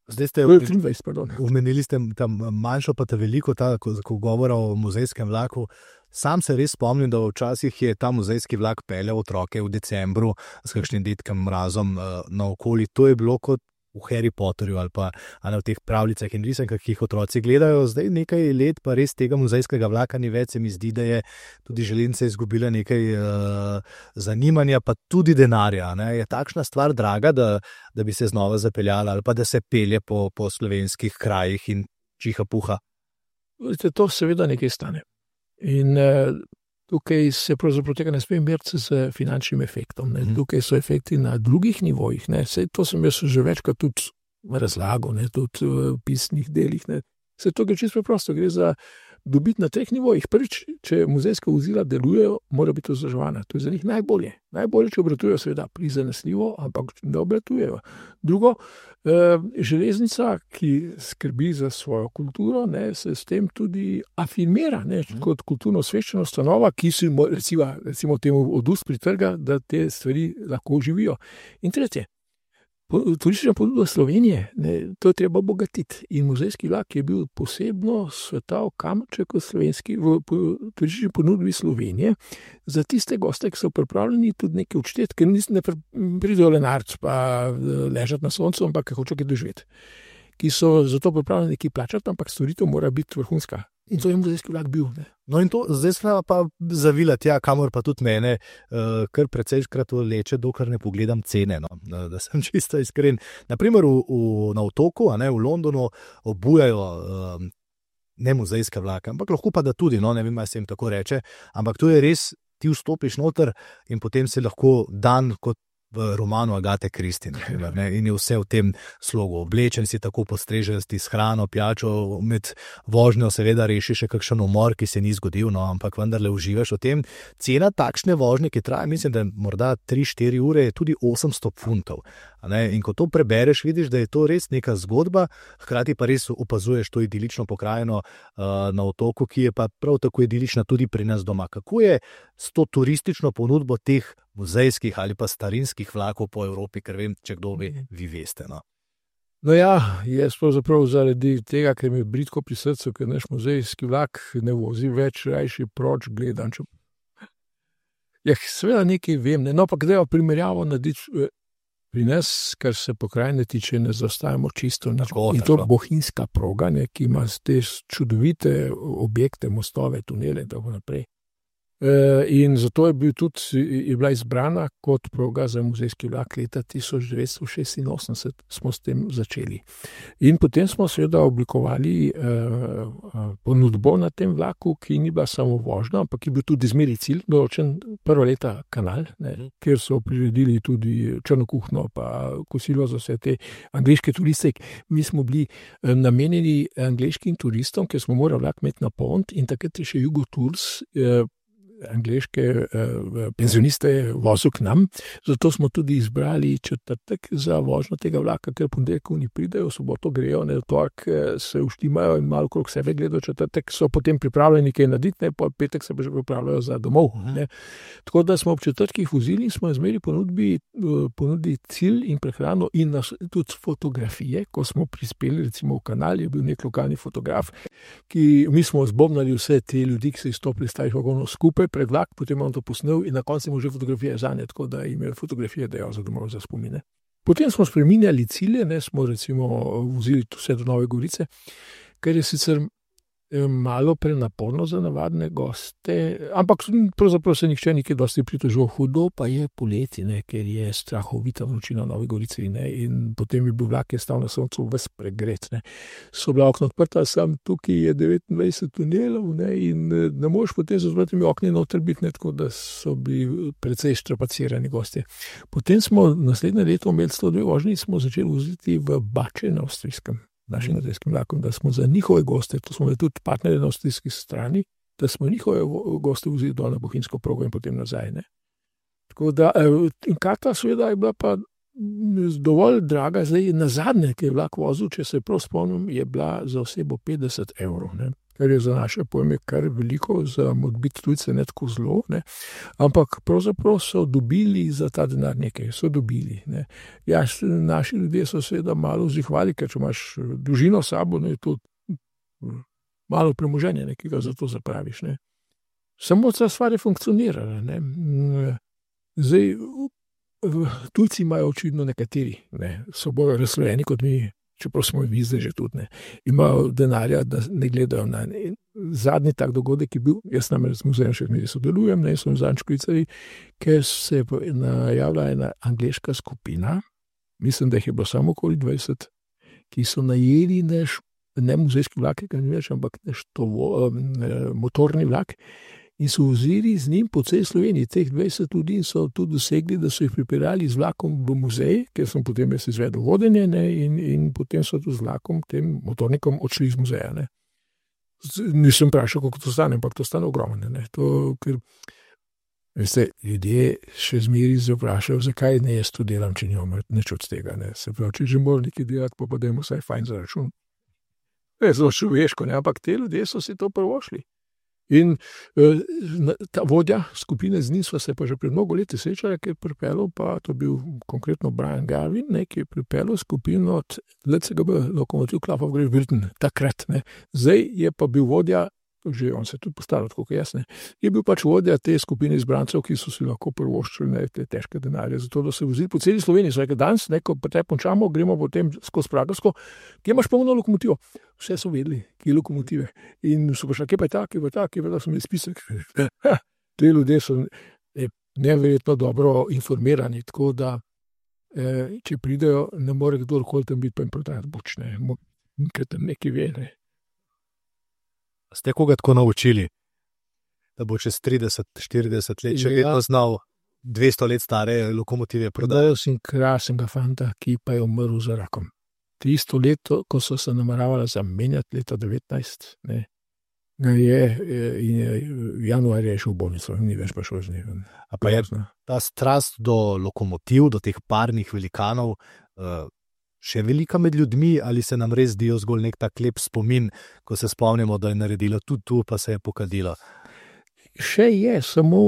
Zdaj ste 23, pardon. Omenili ste tam manjšo pa ta veliko, ko govora o muzejskem vlaku. Sam se res spomnim, da včasih je ta muzejski vlak peljal otroke v decembru s kakšnim dedkem mrazom naokoli. To je bilo kot v Harry Potterju ali pa v teh pravljicah in risankah, ki jih otroci gledajo. Zdaj nekaj let pa res tega muzejskega vlaka ni več, se mi zdi, da je tudi železnica izgubila nekaj zanimanja, pa tudi denarja. Ne? Je takšna stvar draga, da bi se znova zapeljala ali pa da se pelje po slovenskih krajih in čiha puha? To seveda nekaj stane. In tukaj se pravzaprav tega ne sme meriti z finančnim efektom. Ne. Tukaj so efekti na drugih nivojih. Ne. To sem jaz že večkrat tudi razlagal, ne, tudi v pisnih delih. Ne. To gre čisto preprosto, gre za dobiti na treh nivojih. Prvič, če muzejska vozila delujejo, mora biti vzdrževana. To je za njih najbolje. Najbolje, če obratujejo, seveda prizanesljivo, ampak ne obratujejo. Drugo, železnica, ki skrbi za svojo kulturo, ne, se s tem tudi afirmira, ne, kot kulturno osveščena ustanova, ki si recimo temu od ust pritrga, da te stvari lahko živijo. In tretje, turistična ponudba Slovenije, ne, to je treba obogatiti. In muzejski vlak je bil posebno svetal kamenček v turistični ponudbi Slovenije za tiste goste, ki so pripravljeni tudi nekaj odšteti, ker ne pridejo le narc pa ležati na soncu, ampak hočejo kaj doživeti. Ki so zato pripravljeni nekaj plačati, ampak storitev mora biti vrhunska. In to je muzejski vlak bil. Ne. No in to zdaj smo pa zavila tja, kamor pa tudi mene kar precejškrat vleče, dokler ne pogledam cene, no, da sem čisto iskren. Naprimer na otoku, v Londonu obujajo ne muzejske vlake, ampak lahko pa da tudi, no, ne vem, ali se jim tako reče, ampak to je res, ti vstopiš noter in potem se lahko dan kot v romanu Agate Christie, in je vse v tem slogu. Oblečen si, tako postrežen si s hrano, pijačo, med vožnjo seveda reši še kakšen umor, ki se ni zgodil, no, ampak vendarle uživaš v tem. Cena takšne vožnje, ki traja, mislim, da morda 3-4 ure, je tudi 800 funtov. In ko to prebereš, vidiš, da je to res neka zgodba, hkrati pa res opazuješ to idilično pokrajino na otoku, ki je pa prav tako idilična tudi pri nas doma. Kako je s to turistično ponudbo teh muzejskih ali pa starinskih vlakov po Evropi, ker vem, če kdo ve, vi veste. No ja, jaz pravzaprav zaradi tega, ker mi je bridko pri srcu, ker naš muzejski vlak ne vozi več, rajši proč gledam. Ja, seveda nekaj vem, no pa gre primerjavo narediti. Pri nas, kar se pokrajine tiče, ne zaostajamo čisto. In to bohinjska proga, ne, ki ima te čudovite objekte, mostove, tunele in tako naprej. In zato je bila izbrana kot proga za muzejski vlak leta 1986, smo s tem začeli. In potem smo seveda oblikovali ponudbo na tem vlaku, ki ni bila samo vožnja, ampak je bil tudi zmeri cilj, določen prva leta kanal, ne, kjer so priredili tudi črno kuhno, pa kosilo za vse te angleške turiste. Mi smo bili namenjeni angleškim turistom, ker smo morali vlak imeti na poln, in takrat je še Jugo Tours angleške penzioniste vozil k nam, zato smo tudi izbrali četrtek za vožnjo tega vlaka, ker ponedeljkov ni pridejo, v soboto grejo, ne, torek se uštimajo in malo okrog sebe gledajo, četrtek so potem pripravljeni nekaj narediti, ne, pa petek se pa že pripravljajo za domov. Ne. Tako da smo ob četrtkih vozili in smo izmeri ponudili cilj in prehrano in tudi fotografije, ko smo prispeli, recimo v kanal je bil nek lokalni fotograf, ki mi smo zbobnali vse te ljudi, ki so izstopili stavih vagonov skupaj pred vlak, potem on to posnel in na koncu imel že fotografije zanje, tako da jim je fotografije dejal za domov za spomine. Potem smo spreminjali cilje, ne, smo recimo vozili vse do Nove Gorice, ker je sicer malo prenaporno za navadne goste, ampak pravzaprav se nihče nikaj dosti pritožil. Hudo pa je poleti, ne, ker je strahovita vročina v Novi Gorici, ne, in potem je bil vlak, ki je stal na soncu ves pregret. Ne. So bila okna odprta, sam tukaj je 29 tunelov, ne, in ne moreš potem z odprtimi okni noter biti, ne, tako da so bili precej štrapacirani gostje. Potem smo naslednje leto imeli 102 vožnji in smo začeli voziti v Bače na avstrijskem, našim muzejskim vlakom, da smo za njihove goste, to smo tudi partnerji na avstrijski strani, da smo njihove goste vzeli dol na bohinjsko progo in potem nazaj. Ne. Tako da, in karta seveda je bila pa dovolj draga, zdaj na zadnje, ki je vlak vozil, če se prav spomnim, je bila za osebo 50 €, ne. Kar je za naše pojme kar veliko, za modbit tujce ne tako zelo, ne. Ampak pravzaprav so dobili za ta denar nekaj, so dobili. Ne. Ja, naši ljudje so seveda malo vzihvali, ker če imaš družino s sabo, ne, je to malo premoženje, ki ga za to zapraviš. Ne. Samo ta stvar je funkcionirala. Ne. Zdaj, tujci imajo očitno nekateri, ne, so bolj razslojeni kot mi, čeprav smo mi zdaj že tudi, ne, imajo denarja, da ne gledajo na ne. Zadnji tak dogodek je bil, jaz namreč z muzejem še ne sodelujem, ne, sem zadnjič klicali, ker se je najavila ena angleška skupina, mislim, da jih je bilo samo okoli 20, ki so najeli ne muzejski vlak, ampak motorni vlak, in so vozili z njim po celi Sloveniji. Teh 20 ljudi so tudi dosegli, da so jih pripeljali z vlakom v muzej, ker sem potem jaz izvedel vodenje, ne, in potem so tudi z vlakom, tem motornikom odšli iz muzeja. Ne. Nisem vprašal, koliko to stane, ampak to stane ogromno. Ne. To, ker, veste, ljudje še zmeri se vprašajo, zakaj ne jaz to delam, če nimam nič od tega. Ne. Se pravi, če že moram nekaj delati, pa dajmo vsaj fajn za račun. Zelo človeško, ne, ampak te ljudje so si to prvošli. In ta vodja skupine z njim sva se pa že pred mnogo leti srečala, ki je pripeljal, pa to bil konkretno Brian Garvin, ne, ki je pripeljal skupino od LCGB, Lokomotiv Club of Great Britain, takrat. Ne. Zdaj je pa bil vodja, že on se je tudi postavil, tako kot jaz, ne, je bil pač vodja te skupine izbrancev, ki so si lahko prvoščili, ne, te težke denarje, zato da se vozili po celi Sloveniji. So rekli, danes, ne, ko pa te končamo, gremo potem skozi Pragersko, kje imaš polno lokomotivo? Vse so vedeli, kje je lokomotive. In so pa šli, kje pa je ta, kje pa je ta, kje pa je ta, so mi spisek. Te ljudje so neverjetno dobro informirani, tako da, če pridejo, ne more kdorkoli tam biti, pa jim prodajati bočne, ker tam nekaj ve, ne. Ste koga tako naučili, da bo čez 30-40 let še vedno znal 200 let stare lokomotive prodati? Prodajal sem krasnega fanta, ki pa je umrl za rakom. Tisto leto, ko so se nameravala zamenjati, leta 19, ne, januarja je šel v bolnico, ni več pa šel z njim. A pa je ta strast do lokomotiv, do teh parnih velikanov, še velika med ljudmi, ali se nam res zdijo zgolj nek tak lep spomin, ko se spomnimo, da je naredila tudi tu, pa se je pokadila? Še je, samo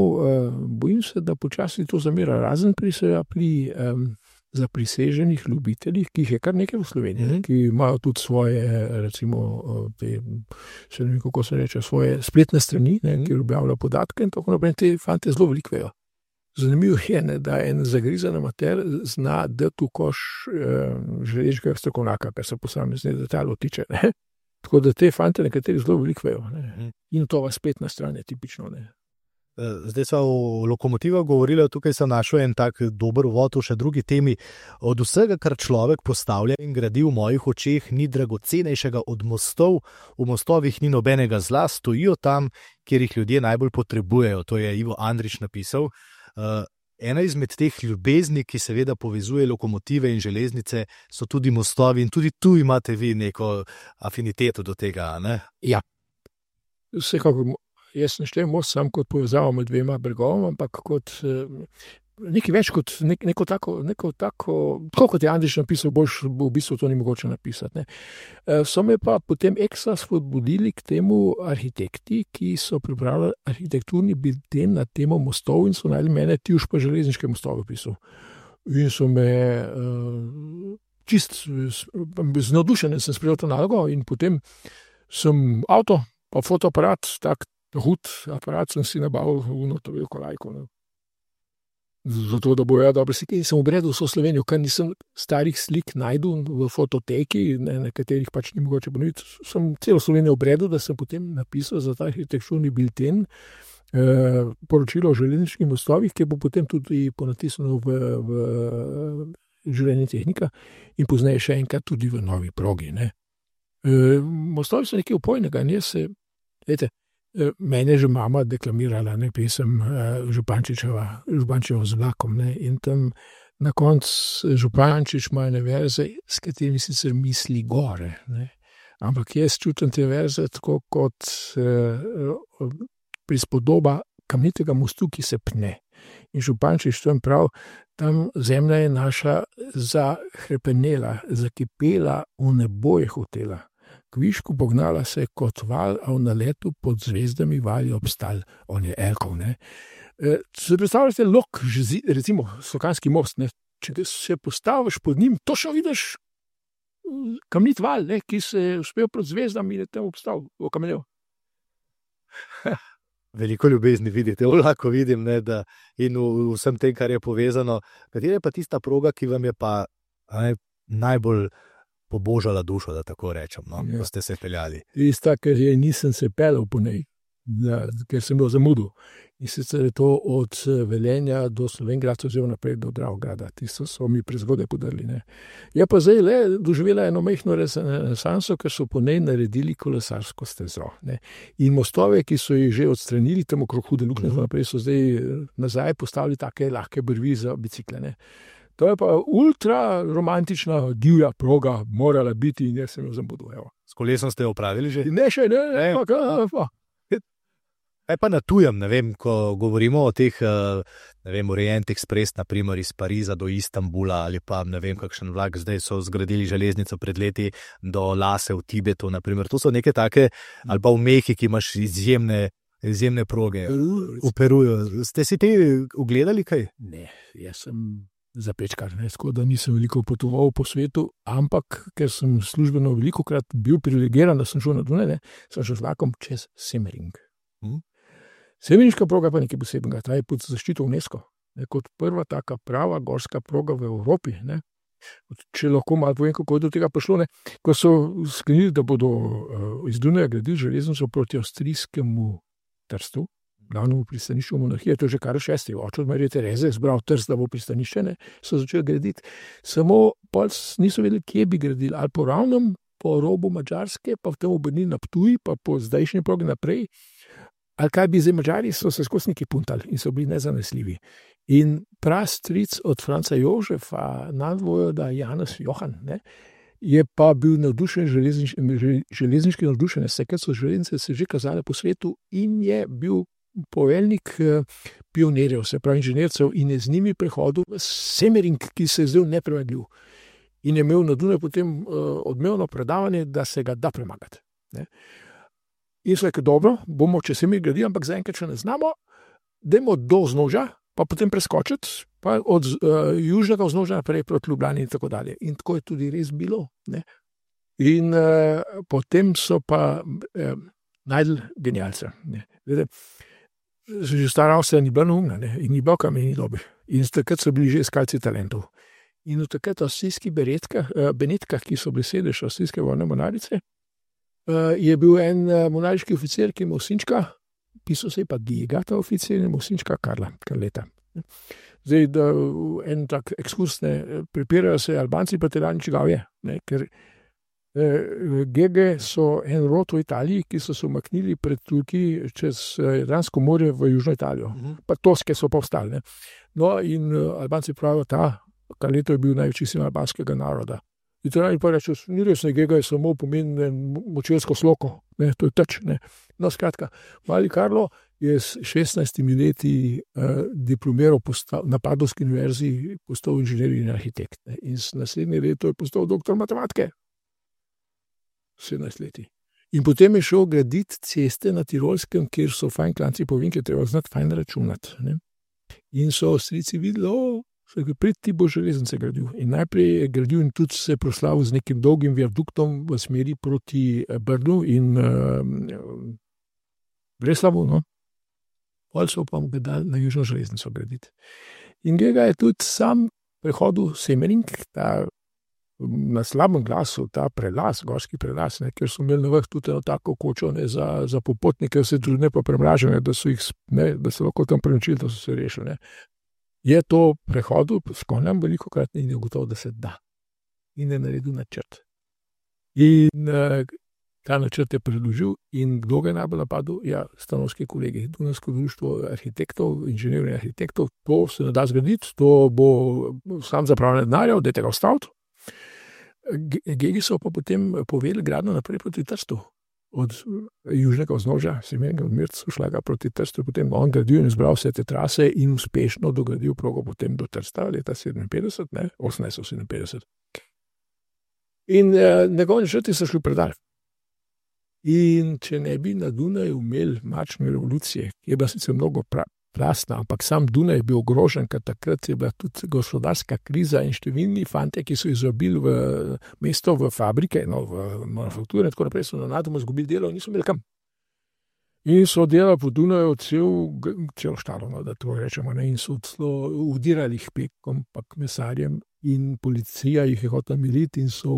bojim se, da počasi to zamera, razen pri zapriseženih ljubiteljih, ki jih je kar nekaj v Sloveniji, ki imajo tudi svoje, recimo, še ne vem, kako se reče, svoje spletne strani, ne, ki objavljajo podatke in tako naprej, te fante zelo veliko vejo. Zanimivo je, ne, da en zagrizen amater zna dati v koš železniškega strokovnjaka, kar se posamezne detajlov tiče. Ne. Tako da te fante nekateri zelo veliko vejo. Ne. In to spletna stran je tipično. Ne. Zdaj smo o lokomotivah govorili, tukaj sem našel en tak dober uvod v še drugi temi. Od vsega, kar človek postavlja in gradi v mojih očeh, ni dragocenejšega od mostov. V mostovih ni nobenega zla, stojijo tam, kjer jih ljudje najbolj potrebujejo. To je Ivo Andrić napisal. Ena izmed teh ljubezni, ki seveda povezuje lokomotive in železnice, so tudi mostovi in tudi tu imate vi neko afiniteto do tega, ne? Ja, vsekakor, jaz ne štejem most sam kot povezavo med dvema bregovama, ampak kot nekaj več kot neko tako, tako kot je Andrić napisal, boljš v bistvu to ni mogoče napisati. Ne. So me pa potem ekstra spodbudili k temu arhitekti, ki so pripravili arhitekturni bilten na temo mostov in so najeli mene, ti už pa železniške mostove pisal. In so me čist z navdušenjem sem sprejel to nalogo in potem sem avto, pa fotoaparat, tak hud aparat sem si nabavil v to veliko lajko. Ne. Zato, da bojo dobro slike. In sem obredil vso Slovenijo, ker nisem starih slik najdel v fototeki, na katerih pač ni mogoče ponoviti. Sem celo Slovenijo obredil, da sem potem napisal za ta arhitekturni bilten poročilo o železniških mostovih, ki bo potem tudi ponatisnjeno v življenje tehnika in pozneje še enkrat tudi v novi progi. Ne. Mostovi so nekaj upojnega in jaz se, vete, mene je že mama deklamirala, ne, pesem Župančičeva z vlakom, ne, in tam na koncu Župančič ima ene verze, s katerimi sicer misli gore, ne, ampak jaz čutim te verze tako kot prispodoba kamnitega mostu, ki se pne. In Župančič tam prav, tam zemlja je naša zahrepenela, zakipela, v nebo je hotela. Kvišku pognala se kot val, a v naletu pod zvezdami vali obstal. On je Elkov, ne. Se predstavljate lok, recimo Sokanski most, ne. Če se postaviš pod njim, točno vidiš kamnit val, ne, ki se je uspel pod zvezdami in je tam obstal, okamenel. veliko ljubezni vidite, lahko vidim, ne, da in v vsem tem, kar je povezano. Katera je pa tista proga, ki vam je pa najbolj pobožala dušo, da tako rečem, no, ko ste se peljali? Tista, ker nisem se peljal po njej, ker sem bil zamudil. In sicer je to od Velenja do Slovenj Gradca oziroma naprej do Dravograda. Tisto so mi prezgodaj podarili. Ne. Je pa zdaj le doživela eno majhno renesanso, ker so po njej naredili kolesarsko stezo. Ne. In mostove, ki so jih že odstranili, tam okrog Hude Luknje, naprej so zdaj nazaj postavili take lahke brvi za bicikle. Ne. To je pa ultra romantična, divja proga, morala biti in jaz sem jo zamudil. S kolesom ste jo opravili že? Ne, še ne. Pa. Kaj pa na tujem, ne vem, ko govorimo o teh, ne vem, Orient Express, naprimer iz Pariza do Istanbula ali pa ne vem, kakšen vlak, zdaj so zgradili železnico pred leti do Lase v Tibetu, naprimer. To so neke take, ali pa v Mehi, ki imaš izjemne proge. V Peruju. Ste si te ugledali kaj? Ne, jaz sem zapečkar, tako da nisem veliko potoval po svetu, ampak ker sem službeno velikokrat bil privilegiran, da sem šel na Dunaj, sem šel z vlakom čez Semmering. Semerinška proga pa nekaj posebnega, ta je pod zaščito UNESCO, kot prva taka prava gorska proga v Evropi. Ne. Če lahko malo povem, kako je do tega prišlo, ne. Ko so sklenili, da bodo iz Dunaja gradili železnico proti avstrijskemu Trstu, glavnemu pristanišču monarhije, to je že kar 6. oče od Marije Tereze zbral Trst, da bo pristanišče, ne, so začeli graditi. Samo pol niso vedeli, kje bi gradili, ali po ravnem, po robu Madžarske, pa v tem obrnili na Ptuj, pa po zdajšnji progi naprej. Ali kaj bi zdaj Madžari, so se skozi neki puntali in so bili nezanesljivi. In prastric od Franca Jožefa, nadvojvoda Janez Johan, ne, je pa bil navdušen, železniški navdušen, ker so železnice se že kazale po svetu in je bil poveljnik pionirjev, se pravi inženircev, in je z njimi prehodil Semmering, ki se je zdel nepremagljiv. In je imel na Dunaju potem odmevno predavanje, da se ga da premagati. Ne. In so rekli, dobro, bomo če se mi gradili, ampak zaenkrat še ne znamo, dajmo do vznožja, pa potem preskočiti, pa od južnega vznožja naprej proti Ljubljani in tako dalje. In tako je tudi res bilo. Ne. In potem so pa najdli genialca. Že stara Avstrija ni bila neumna, ne, in ni bila kameni dobi. In takrat so bili že iskalci talentov. In v takrat avstrijskih Benetkah, ki so bili sedež avstrijske vojne mornarice, je bil en monarhiški oficir, ki je imel sinčka, pisal se je pa Diega, ta oficir, in imel sinčka Karleta. Zdaj, da en tak ekskurs, prepirajo se Albanci pa Italijani, čigav je, ne, ker Gege so en rod v Italiji, ki so se umaknili pred Turki čez Jadransko morje v Južno Italijo. Pa Toske so pa ostali. No, in Albanci pravijo, ta Karleto je bil največji sin albanskega naroda. Italijani pa reče, ni res, Gega je samo pomeni močelsko sloko, ne, to je teč. Ne. No, skratka, mali Karlo je s 16 leti diplomiral na Padovski univerzi, postal inženir in arhitekt. Ne. In s naslednje leto je postal doktor matematike. 17 leti. In potem je šel graditi ceste na Tirolskem, kjer so fajn klanci povinke, treba znati fajn računati. Ne. In so Avstrijci videli, pred ti bo železnice gradil. In najprej je gradil in tudi se proslavil z nekim dolgim viaduktom v smeri proti Brdu in Breslavu, no. Pol so pa mu ga dali na južno železnico graditi. In Gega je tudi sam prehodil Semmering, ta na slabem glasu, ta prelaz, gorski prelaz, ne, ker so imeli na vrh tudi eno tako kočo, ne, za popotnike, vse druge pa premražene, da so lahko tam prenočili, da so se rešili, ne. Je to prehodil s konjem velikokrat in je gotovo, da se da. In je naredil načrt. In ta načrt je predložil in kdo ga je najbolj napadel? Ja, stanovski kolegi, Dunajsko društvo arhitektov, inženirjev in arhitektov, to se ne da zgraditi, to bo sam zapravljanje denarja, dajte ga ustaviti. Gegi so pa potem povedali gradnjo naprej proti Trstu. Od južnega vznožja, Semmeringa od Mirca, šla ga proti Trstu, potem on gradil in izbral vse te trase in uspešno dogradil progo potem do Trsta leta 1857. In njegovi načrti so šli predal. In če ne bi na Dunaju imeli marčne revolucije, ki je bila sicer mnogo plastna, ampak sam Dunaj je bil ogrožen, ker takrat je bila tudi gospodarska kriza in številni fante, ki so izrobili v mesto, v fabrike, no, v manufakture in tako naprej, so nenadoma izgubili delo in niso imeli kam. In so delali po Dunaju celo štalo, no, da to rečemo, ne, in so celo udirali jih pekom, pa mesarjem, in policija jih je hotela militi in so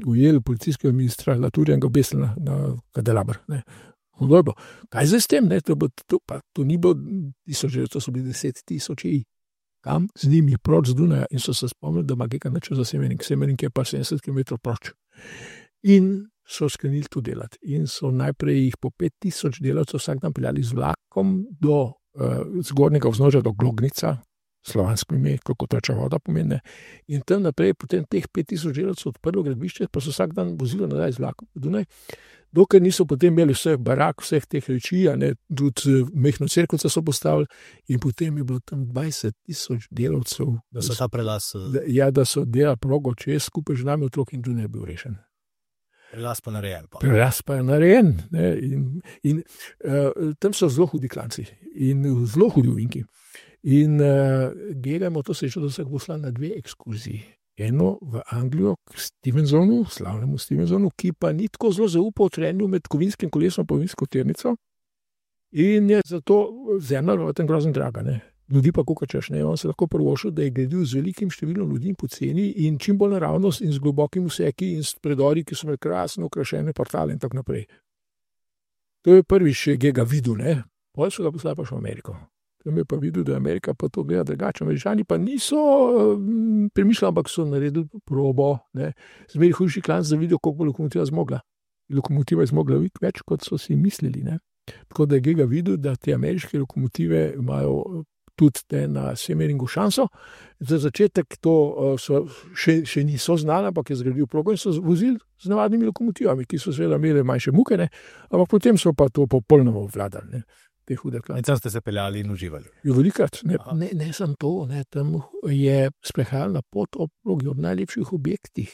ujeli policijskega ministra Laturja in ga obesili na kadelaber. Kaj zdaj s tem? Ne? To ni bilo 1000, to so bili 10,000. Kam? Z njimi proč z Dunaja in so se spomnili, da ima nekaj način za Semenik je pa 70 km proč. In so sklenili to delati. In so najprej jih po 5000 delavcev vsak dan peljali z vlakom do zgornjega vznožja, do Glognica, slovansko ime, kako teča voda pomeni. In tam naprej, potem teh 5000 delavcev odprlo gradbišče, pa so vsak dan vozili nazaj z vlakom v Dunaj, dokler niso potem imeli vseh barak, vseh teh reči, tudi mehno cerkvico so postavili in potem je bilo tam 20,000 delavcev. Da so ta prelaz... da so delali progo čez, skupaj z nami otrok in Dunaj je bil rešen. Prelaz pa narejen. Prelaz pa je narejen. In tam so zelo hudi klanci in zelo hudi ovinki. In gledamo to srečo, da se je poslal na 2 ekskurziji. Eno v Anglijo k Stevensonu, slavnemu Stevensonu, ki pa ni tako zelo zaupal trenju med kovinskim kolesom in kovinsko tirnico. In je zato zemlja v tem grozno draga. Ne. Ljudi pa kukačeš, ne. On se lahko prvošil, da je gledil z velikim številom ljudi poceni in čim bolj naravnost in z globokim vseki in s predori, ki so imeli krasno okrašene portale in tako naprej. To je prvič, ki ga videl, ne. Potem so ga poslali pa še v Ameriko. Tam je pa videl, da je Amerika pa to gleda drugače. Američani pa niso premišljali, ampak so naredili probo. Zmeri hujši klanc, da vidijo, koliko bo lokomotiva zmogla. Lokomotiva je zmogla več, kot so si mislili. Ne? Tako da je ga videl, da te ameriške lokomotive imajo tudi te na Semeringu šanso. Za začetek to še niso znali, ampak je zgradil progo in so vozili z navadnimi lokomotivami, ki so seveda imeli manjše muke, ne? Ampak potem so pa to popolnoma vladali. Ne? In tam ste se peljali in uživali. Velikrat, ne samo to, ne, tam je sprehajalna pot ob progi, ob najlepših objektih.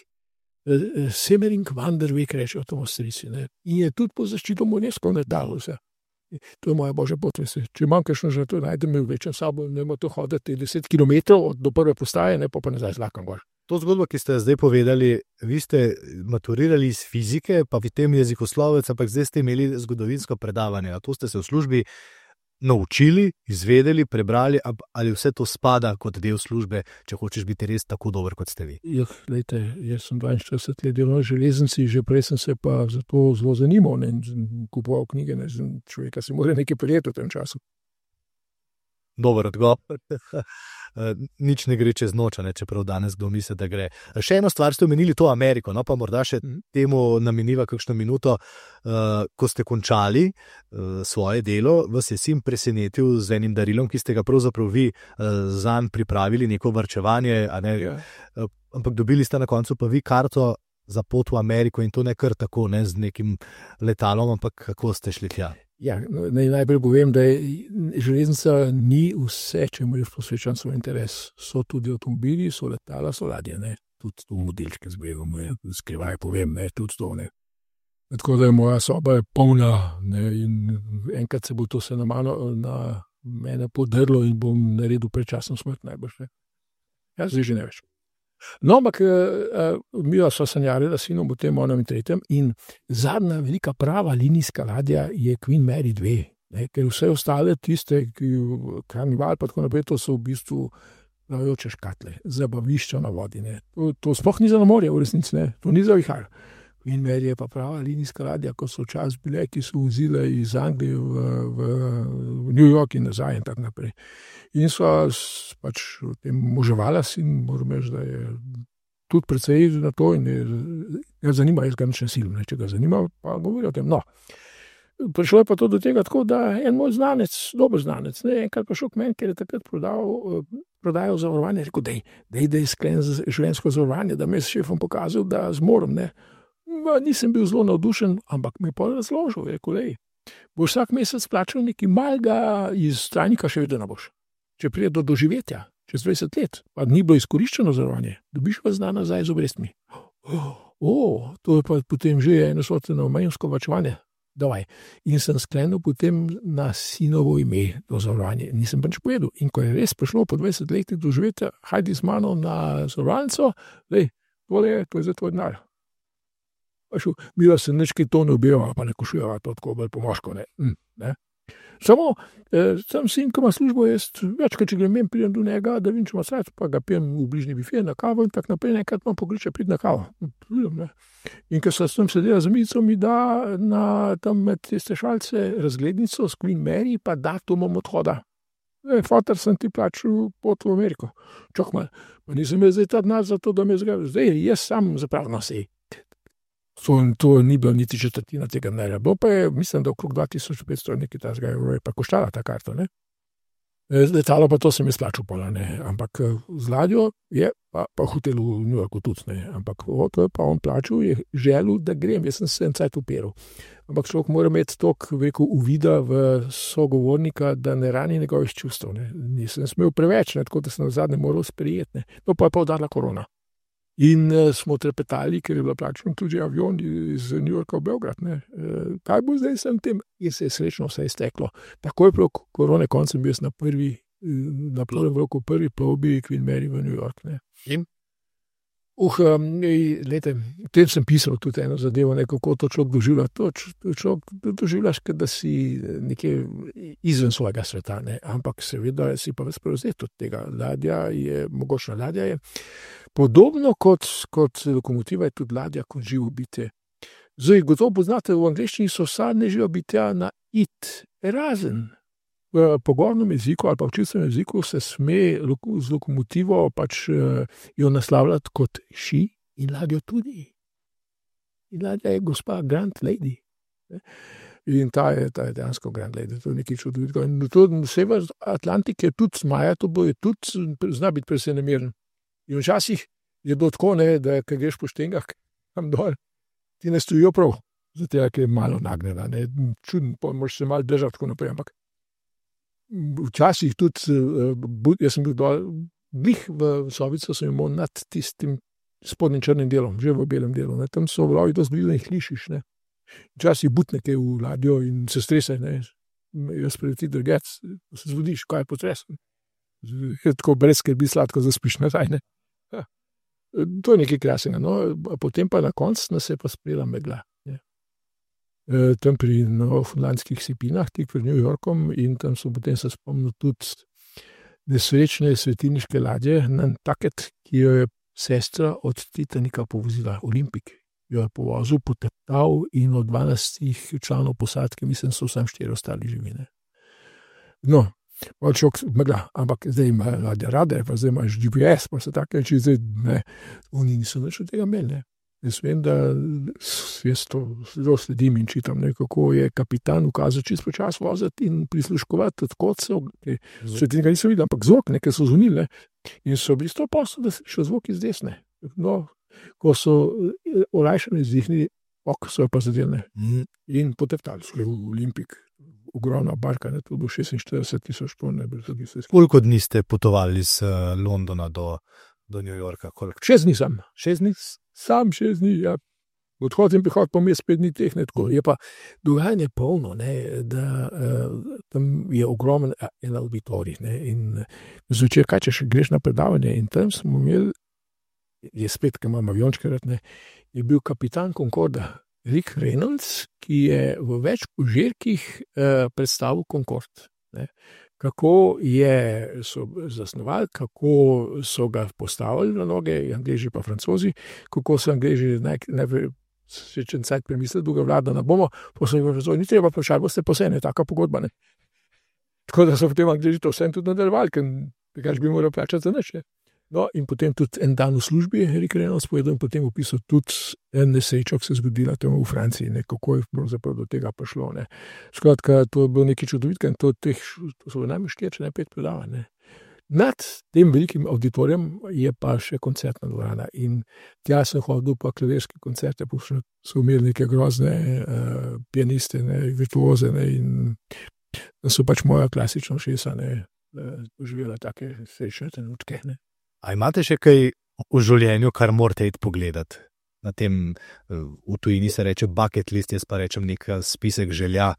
Semering Vanderweg rečejo to v Avstrijci. In je tudi po zaščito UNESCO ne dalo vse. To je moja božja pot, veste. Če imam kakšno že to, najdem me vlečem sabo, ne morem to hoditi 10 km do prve postaje, ne pa nazaj z vlakom gor. To zgodbo, ki ste zdaj povedali, vi ste maturirali iz fizike, pa v tem jezikoslovec, ampak zdaj ste imeli zgodovinsko predavanje. A to ste se v službi naučili, izvedeli, prebrali, ali vse to spada kot del službe, če hočeš biti res tako dober, kot ste vi? Glejte, jaz sem 42 let delal na železnici, že prej sem se pa za to zelo zanimal, ne, kupoval knjige, ne, človeka se mora nekaj prijeti v tem času. Dober odgovor. Nič ne gre čez noč, čeprav danes kdo misli, da gre. Še eno stvar ste omenili, to Ameriko, no pa morda še temu nameniva kakšno minuto. Ko ste končali svoje delo, vas je sin presenetil z enim darilom, ki ste ga pravzaprav vi zanj pripravili, neko varčevanje, ampak dobili ste na koncu pa vi karto za pot v Ameriko in to ne kar tako, ne z nekim letalom, ampak kako ste šli tja? Ja, najprej povem, da železnica ni vse, če mu je posvečen svoj interes. So tudi avtomobili, so letala, so ladje, ne. Tudi to modelčke zbegom, skrivaj povem, ne, tudi to, ne. Tako da je moja soba polna, ne, in enkrat se bo to se na mene podrlo in bom naredil predčasno smrt najbrž, ne. Ja, zdaj že ne več. No, ampak mi smo sanjali, da sinom v tem onem in tretjem in zadnja velika prava linijska ladja je Queen Mary 2, ne, ker vse ostale tiste, Karnival pa tako naprej, to so v bistvu plavajoče škatle, zabavišča na vodi, ne. To sploh ni za na morje v resnici, ne, to ni za vihar. Queen Mary je pa prava linijska ladja, ko so včasih bile, ki so vozile iz Anglije v New York in nazaj in tako naprej. In so pač v tem moževala in moram reči, da je tudi precej na to in je zanima, jaz ga nič ne silim, če ga zanima, pa govori o tem. No, prišlo je pa to do tega tako, da en moj znanec, dober znanec, ne, enkrat pa šel k meni, ker je takrat prodajal zavarovanje, rekel, dej sklen življenjsko zavarovanje, da me je s šefom pokazal, da zmorem, ne. Nisem bil zelo navdušen, ampak mi je pa razložil, rekel, boš vsak mesec plačal nekaj malega iz trajnika, še vedno boš. Če pride do doživetja, čez 20 let, pa ni bilo izkoriščeno zavarovanje, dobiš pa zna nazaj z obrestmi. To je pa potem že eno sorteno manjsko varčevanje. Davaj. In sem sklenil potem na sinovo ime to zavarovanje. Nisem pa nič povedal. In ko je res prišlo po 20 letih doživetja, hajdi z mano na zavarovalnico, to je za tvoj denar. Bila sem nekaj to ne objeva, pa ne košujeva, to tako bolj pomoško, ne. Samo, sam sin, ko ima službo, jaz večkrat, če grem, pridem do njega, da vidim, če ima srce, pa ga pijem v bližnji bife na kavo in tako naprej, nekrat imam pokliče priti na kavo. In ko sem tam sedela z mico, mi da tam med tiste šalce razglednico s Queen Mary, pa datumom odhoda. Fotar sem ti plačil pot v Ameriko. Čak malo, pa nisem jaz zdaj ta denar za to, da me zgledam. Zdaj, jaz sam zapravno sej. To ni bilo niti četrtina tega denarja. Bilo pa je, mislim, da okrog 2500 nekaj tazga je pa koštala ta karta, ne. Letalo pa to sem jaz plačal pola, ne. Ampak z ladjo je pa hotel v New Yorku tudi, ne. Ampak to je pa on plačal, je želel, da grem. Jaz sem se en cajt uperal. Ampak človek mora imeti toliko uvida v sogovornika, da ne rani njegovih čustev, ne. Nisem smel preveč, ne, tako da sem v zadnje moral sprejeti, ne. No, pa je pa udarila korona. In smo trepetali, ker je bila plačena tudi avion iz New Yorka v Beograd, ne. Kaj bo zdaj sem tem? In se je srečno vse izteklo. Tako je prav korone koncem bil na prvem roku prvi plovbi Queen Mary v New York, ne. In? Lejte, v tem sem pisal tudi eno zadevo, kako to človek doživlja. To človek doživljaš, da si nekje izven svojega sveta, ne. Ampak seveda si pa ves prevzet od tega. Mogočna ladja je podobno kot lokomotiva, je tudi ladja kot živo bitje. Zdaj, gotovo poznate, v angleščini so sadne živo bitja na it, razen. V pogornem jeziku ali pa v čistem jeziku se sme z lokomotivo pač jo naslavljati kot she in ladjo tudi. In ladja je gospa Grand Lady. In ta je dejansko Grand Lady, to je nekaj čudovitega. In to sever Atlantik je tudi zmaja, to bo je tudi, zna biti precej nemeren. In včasih je bilo tako, ne, da ko greš po štengah tam dol, ti ne stojijo prav, zato je malo nagnjena, ne, čudno, moraš se malo držati tako naprej, ampak včasih tudi, jaz sem bil dol, glih v sobico sem imel nad tistim spodnjim črnim delom, že v belem delu, ne, tam so vlavi dosti bili, da jih lišiš, ne. Včasih butne kaj v ladjo in se strese, ne, jaz preleti drgec, se zbudiš, kaj je potres. Je tako brez skrbi sladko zaspiš nazaj, ne. To je nekaj krasnega, no, potem pa na koncu nas je pa sprejela megla. Tam pri Novofundlandskih sipinah, tik pred New Yorkom, in tam so potem se spomnil tudi nesrečne svetilniške ladje, Nantucket, ki jo je sestra od Titanika povozila, Olimpik. Jo je povozil, poteptal in od 12 članov posadke, mislim, so sam 4 ostali živine. No, megla, ampak zdaj ima ladja radar, pa zdaj imaš GPS, pa se take reči, zdaj ne, oni niso nič od tega imeli, ne. Jaz vem, da jaz to zelo sledim in čitam, ne, kako je kapitan ukazal čisto počas voziti in prisluškovati od kocov, še tega nisem videl, ampak zvok, nekaj so zvonili, ne, in so bili 100%, da se še zvok iz desne. No, ko so olajšane zdihnili, so jo pa zadeli, ne, in poteptali so v Olimpik, ogromna barka, ne, to bo 46,000 ton, ne, brez odvisnosti. Koliko dni ste potovali z Londona do New Yorka? 6 dni sam. 6 dni? Sam 6 dni, ja. Odhod in prihod pa mi je 5 dni teh, ne, tako. Je pa dogajanje polno, ne, da tam je ogromen en auditorij, ne, in zvečer, kaj če še greš na predavanje, in tam smo imeli, je spet, ki imam aviončke rad, ne, je bil kapitan Concorda, Rick Reynolds, ki je v več požirkih predstavil Concorde, ne. Kako so zasnovali, kako so ga postavili na noge, Angleži pa Francozi, kako so Angleži najprej še čen cajt premislili, druga vlada ne bomo, pa so jih Francozi, ni treba vprašati, boste posebej, taka pogodba, ne. Tako da so potem Angleži to vsem tudi nadaljevali, ker bi moral plačati za nič, ne. No, in potem tudi en dan v službi, Rick Reynolds povedal, in potem opisal tudi en nesrečo, ki se je zgodila tam v Franciji, ne, kako je pravzaprav do tega prišlo, ne. Skratka, to je bilo nekaj čudovitega in to so najmanj 4, 5 predavanj, ne. Nad tem velikim auditorijem je pa še koncertna dvorana in tja sem hodil pa klavirske koncerte, so imeli neke grozne pianiste, ne, virtuoze, ne, in so pač moja klasična ušesa, ne, doživela take srečne trenutke, ne. A imate še kaj v življenju, kar morate iti pogledati? Na tem, v tujini se reče bucket list, jaz pa rečem nek spisek želja.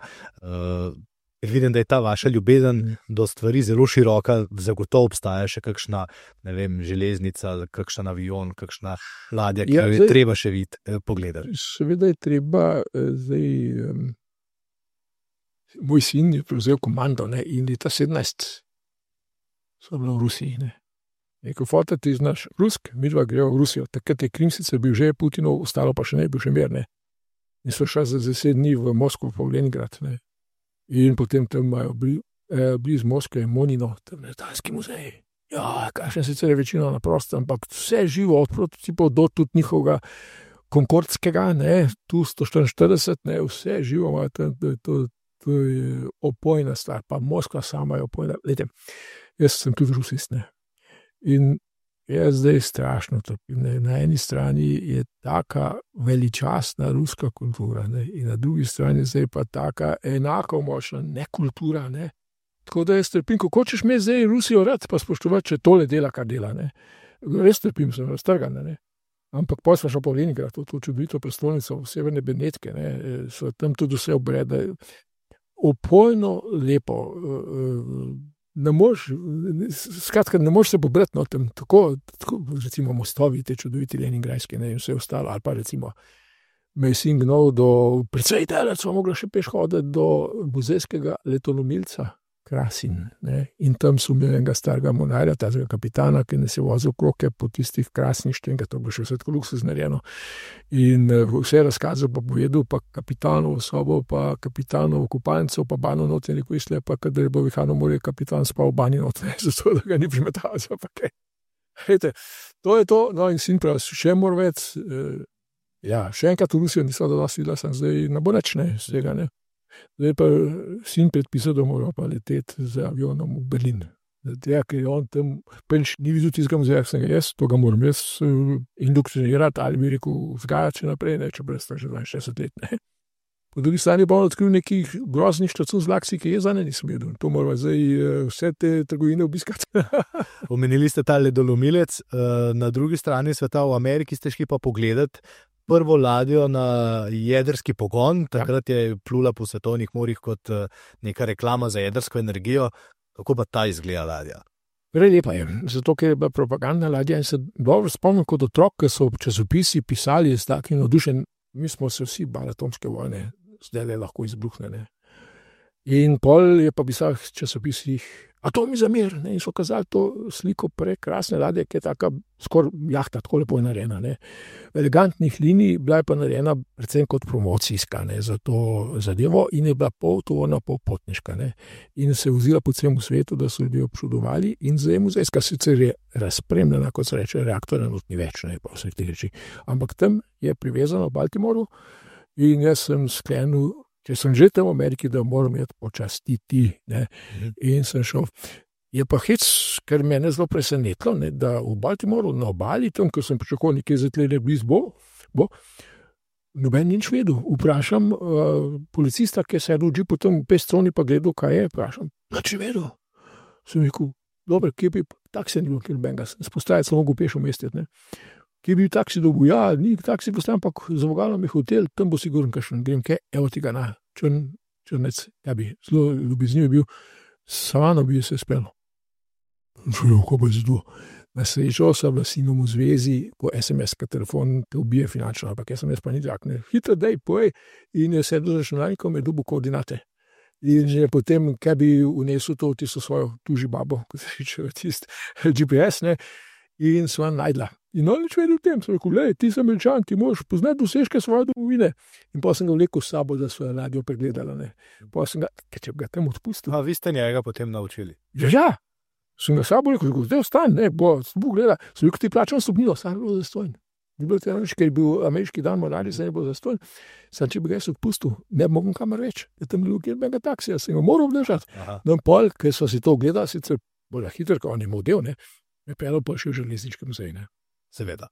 Vidim, da je ta vaša ljubezen do stvari zelo široka, zagotovo obstaja še kakšna, ne vem, železnica, kakšen avion, kakšna ladja, ki jo je treba še pogledati. Seveda je treba zdaj. Moj sin je prevzel komando, ne, in leta 17 so bila v Rusiji. Ne. Rekel, fota, ti znaš rusk, mi dva greva v Rusijo. Takrat je Krim sicer bil že Putinov, ostalo pa še ne, bil še mir. Ne. In so šla za 10 dni v Moskvo, pa v Leningrad. Ne. In potem tam imajo blizu Moskve Monino, tam letalski muzej. Ja, kakšne sicer je večina na prostem, ampak vse živo, od prototipov do tudi njihovega konkordskega, ne, tu 144, ne, vse živo ima tam, to je opojna stvar, pa Moskva sama je opojna. Lejte, jaz sem tudi rusist, ne. In jaz zdaj strašno trpim. Na eni strani je taka veličastna ruska kultura, ne, in na drugi strani zdaj pa taka enako močna nekultura, ne. Tako da jaz trpim, kako ćeš me zdaj Rusijo rad pa spoštovati, če tole dela, kar dela, ne. Res trpim, sem raztrgan, ne. Ampak potem smo šli po Leningrad, to čudovito prestolnico v Severne Benetke, ne, so tam tudi vse obrede, opojno lepo, ne moreš se pobrati, no, tam tako, recimo mostovi, te čudoviti leningradski, ne, in vse ostalo, ali pa recimo me je sin gnal precej daleč, smo mogli še peš hoditi do muzejskega letolomilca Krasin, ne, in tam so imeli enega starega monarja, tazega kapitana, ki nas je vozil kroke po tistih krasništvih, to bo še vse tako luksuz narejeno, in vse razkazal pa povedal, pa kapitanovo sobo, pa kapitanovo kupalnico, pa bano noter, neko išle, pa kadar je bo vihano morje, kapitan spal v bani noter, zato da ga ni primetal, pa kaj. Hejte, to je to, no, in sin pravi, še mora več, ja, še enkrat v Rusijo nisem dosti videla, sem zdaj ne bo nič, ne, z tega, ne. Zdaj pa sin predpisal, da mora pa leteti z avionom v Berlin. Zdaj, ker on tam ni videl tistega muzeja, sem ga jaz, to ga moram jaz indoktrinirati, ali bi rekel, vzgajati še naprej, ne, če brez tak že 60 let, ne. Po drugi strani pa on odkril nekih groznih štacun z laksi, ki je za ne nisem videl. To moramo zdaj vse te trgovine obiskati. Omenili ste ta ledolomilec, na drugi strani sveta v Ameriki ste šli pa pogledati prvo ladjo na jedrski pogon, takrat je plula po svetovnih morjih kot neka reklama za jedrsko energijo. Kako pa ta izgleda ladja? Prelepa je, zato ker je bila propagandna ladja in se dobro spomnim kot otrok, ki so časopisi pisali s takim navdušenjem, mi smo se vsi bali atomske vojne, zdaj le lahko izbruhne, ne. In pol je pa pisal v časopisih Atomi za mir, ne, in so kazali to sliko prekrasne ladje, ki je taka skoraj jahta, tako lepo je narejena, ne. Elegantnih linij, bila je pa narejena predvsem kot promocijska, ne, za to zadevo in je bila pol tovorna, pol potniška, ne. In se je vozila po celem svetu, da so ljudje občudovali in zdaj muzejska sicer je razpremljena, kot se reče, reaktorja not ni več, ne, pa vseh teh reči. Ampak tam je privezano v Baltimoru in jaz sem sklenil, če sem že tam v Ameriki, da moram jeti počastiti, ne, in sem šel. Je pa hec, ker mene zelo presenetilo, ne, da v Baltimoru na obali, tam, ko sem pričakoval nekaj za tle blizu bo, noben nič vedel. Vprašam policista, ki je sedel v džipu tam v pestroni, pa gledal, kaj je, vprašam, nič vedel. Sem rekel, dobro, kje bi taksi ni bilo, kjer benga, spostaviti sem mogel peš umestiti, ne. Kje bi taksi dobil, ja, ni taksi postavim, ampak za vogalom je hotel, tam bo sigurno kakšen, grem kaj, evo tega na črnec, ja bi, zelo ljubezniv je bil, savano bi se spelo. Ko bo zdo. Na srečo sem bila sinom v zvezi, po SMS-ka telefon te ubije finančno, ampak SMS pa ni tak, ne, hitro dej, pojej, in je sedel z računalnikom, je dobil koordinate. In že potem, kaj bi unesel to, tisto svojo tuži babo, ko se reče, tist GPS, ne, in sva najdla. In on nič vedel o tem, sem rekel, lej, ti sem Američan, ti moraš poznati dosežke svoje domovine. In pa sem ga vlekel s sabo, da svojo ladjo pregledala, ne. Pa sem ga, če bi ga tam odpustil. A vi ste njega potem naučili? Ja, sem ga s sabo rekel, zdaj ostan, ne, bo gleda. Sem rekel, ti plačam stopnilo, sam je bilo zastojn. Ni bilo tega nič, ker je bil ameriški dan morali, se je bilo zastojn. Sam, če bi ga jaz odpustil, ne bi mogel kamor več. Je tam bilo kjerbenega taksija, sem ga moral obdržati. No, pol, ker so si to gledali, sicer bolj hitro, ko on je model, ne, me peljal pa še v železniškem muzeju, ne. Seveda.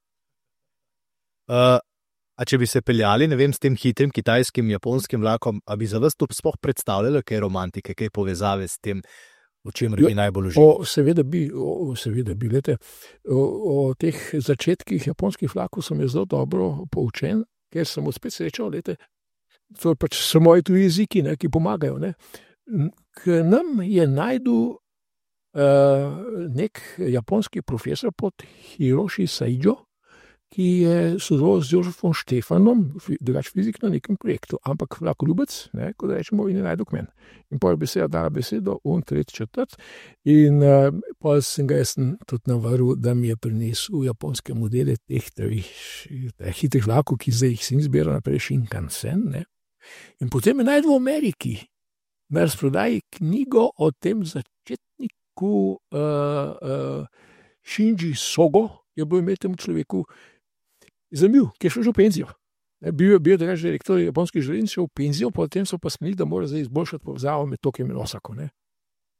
A če bi se peljali, ne vem, s tem hitrim kitajskim, japonskim vlakom, a bi za vas to sploh predstavljalo kaj romantike, kaj povezave s tem, o čemer bi najbolj uživali? Seveda bi, lete, o teh začetkih japonskih vlakov sem je zelo dobro poučen, ker sem spet srečal, lete, to je pač so moji tuji jeziki, ne, ki pomagajo, ne. k nam je najdel nek japonski profesor pod Hiroshi Saijo, ki je sodeloval z Jožefom Štefanom, drugač fizik na nekem projektu, ampak vlakoljubec, kot rečemo, in je najdel k meni. In potem beseda dala besedo, on tretji četrt, in potem sem ga jaz tudi navaril, da mi je prinesel japonske modele teh hitrih vlakov, ki zdaj jih sem izbiral naprej, Shinkansen, ne. In potem je najdel v Ameriki, na razprodaji knjigo o tem začetniku Shinji Sogo, je bil imel temu človeku zanimiv, ki je šel že v penzijo. Bil je drugače direktor japonskih železnic, šel v penzijo, potem so pa smenili, da mora zdaj izboljšati povezavo med Tokijem in Osako. Ne.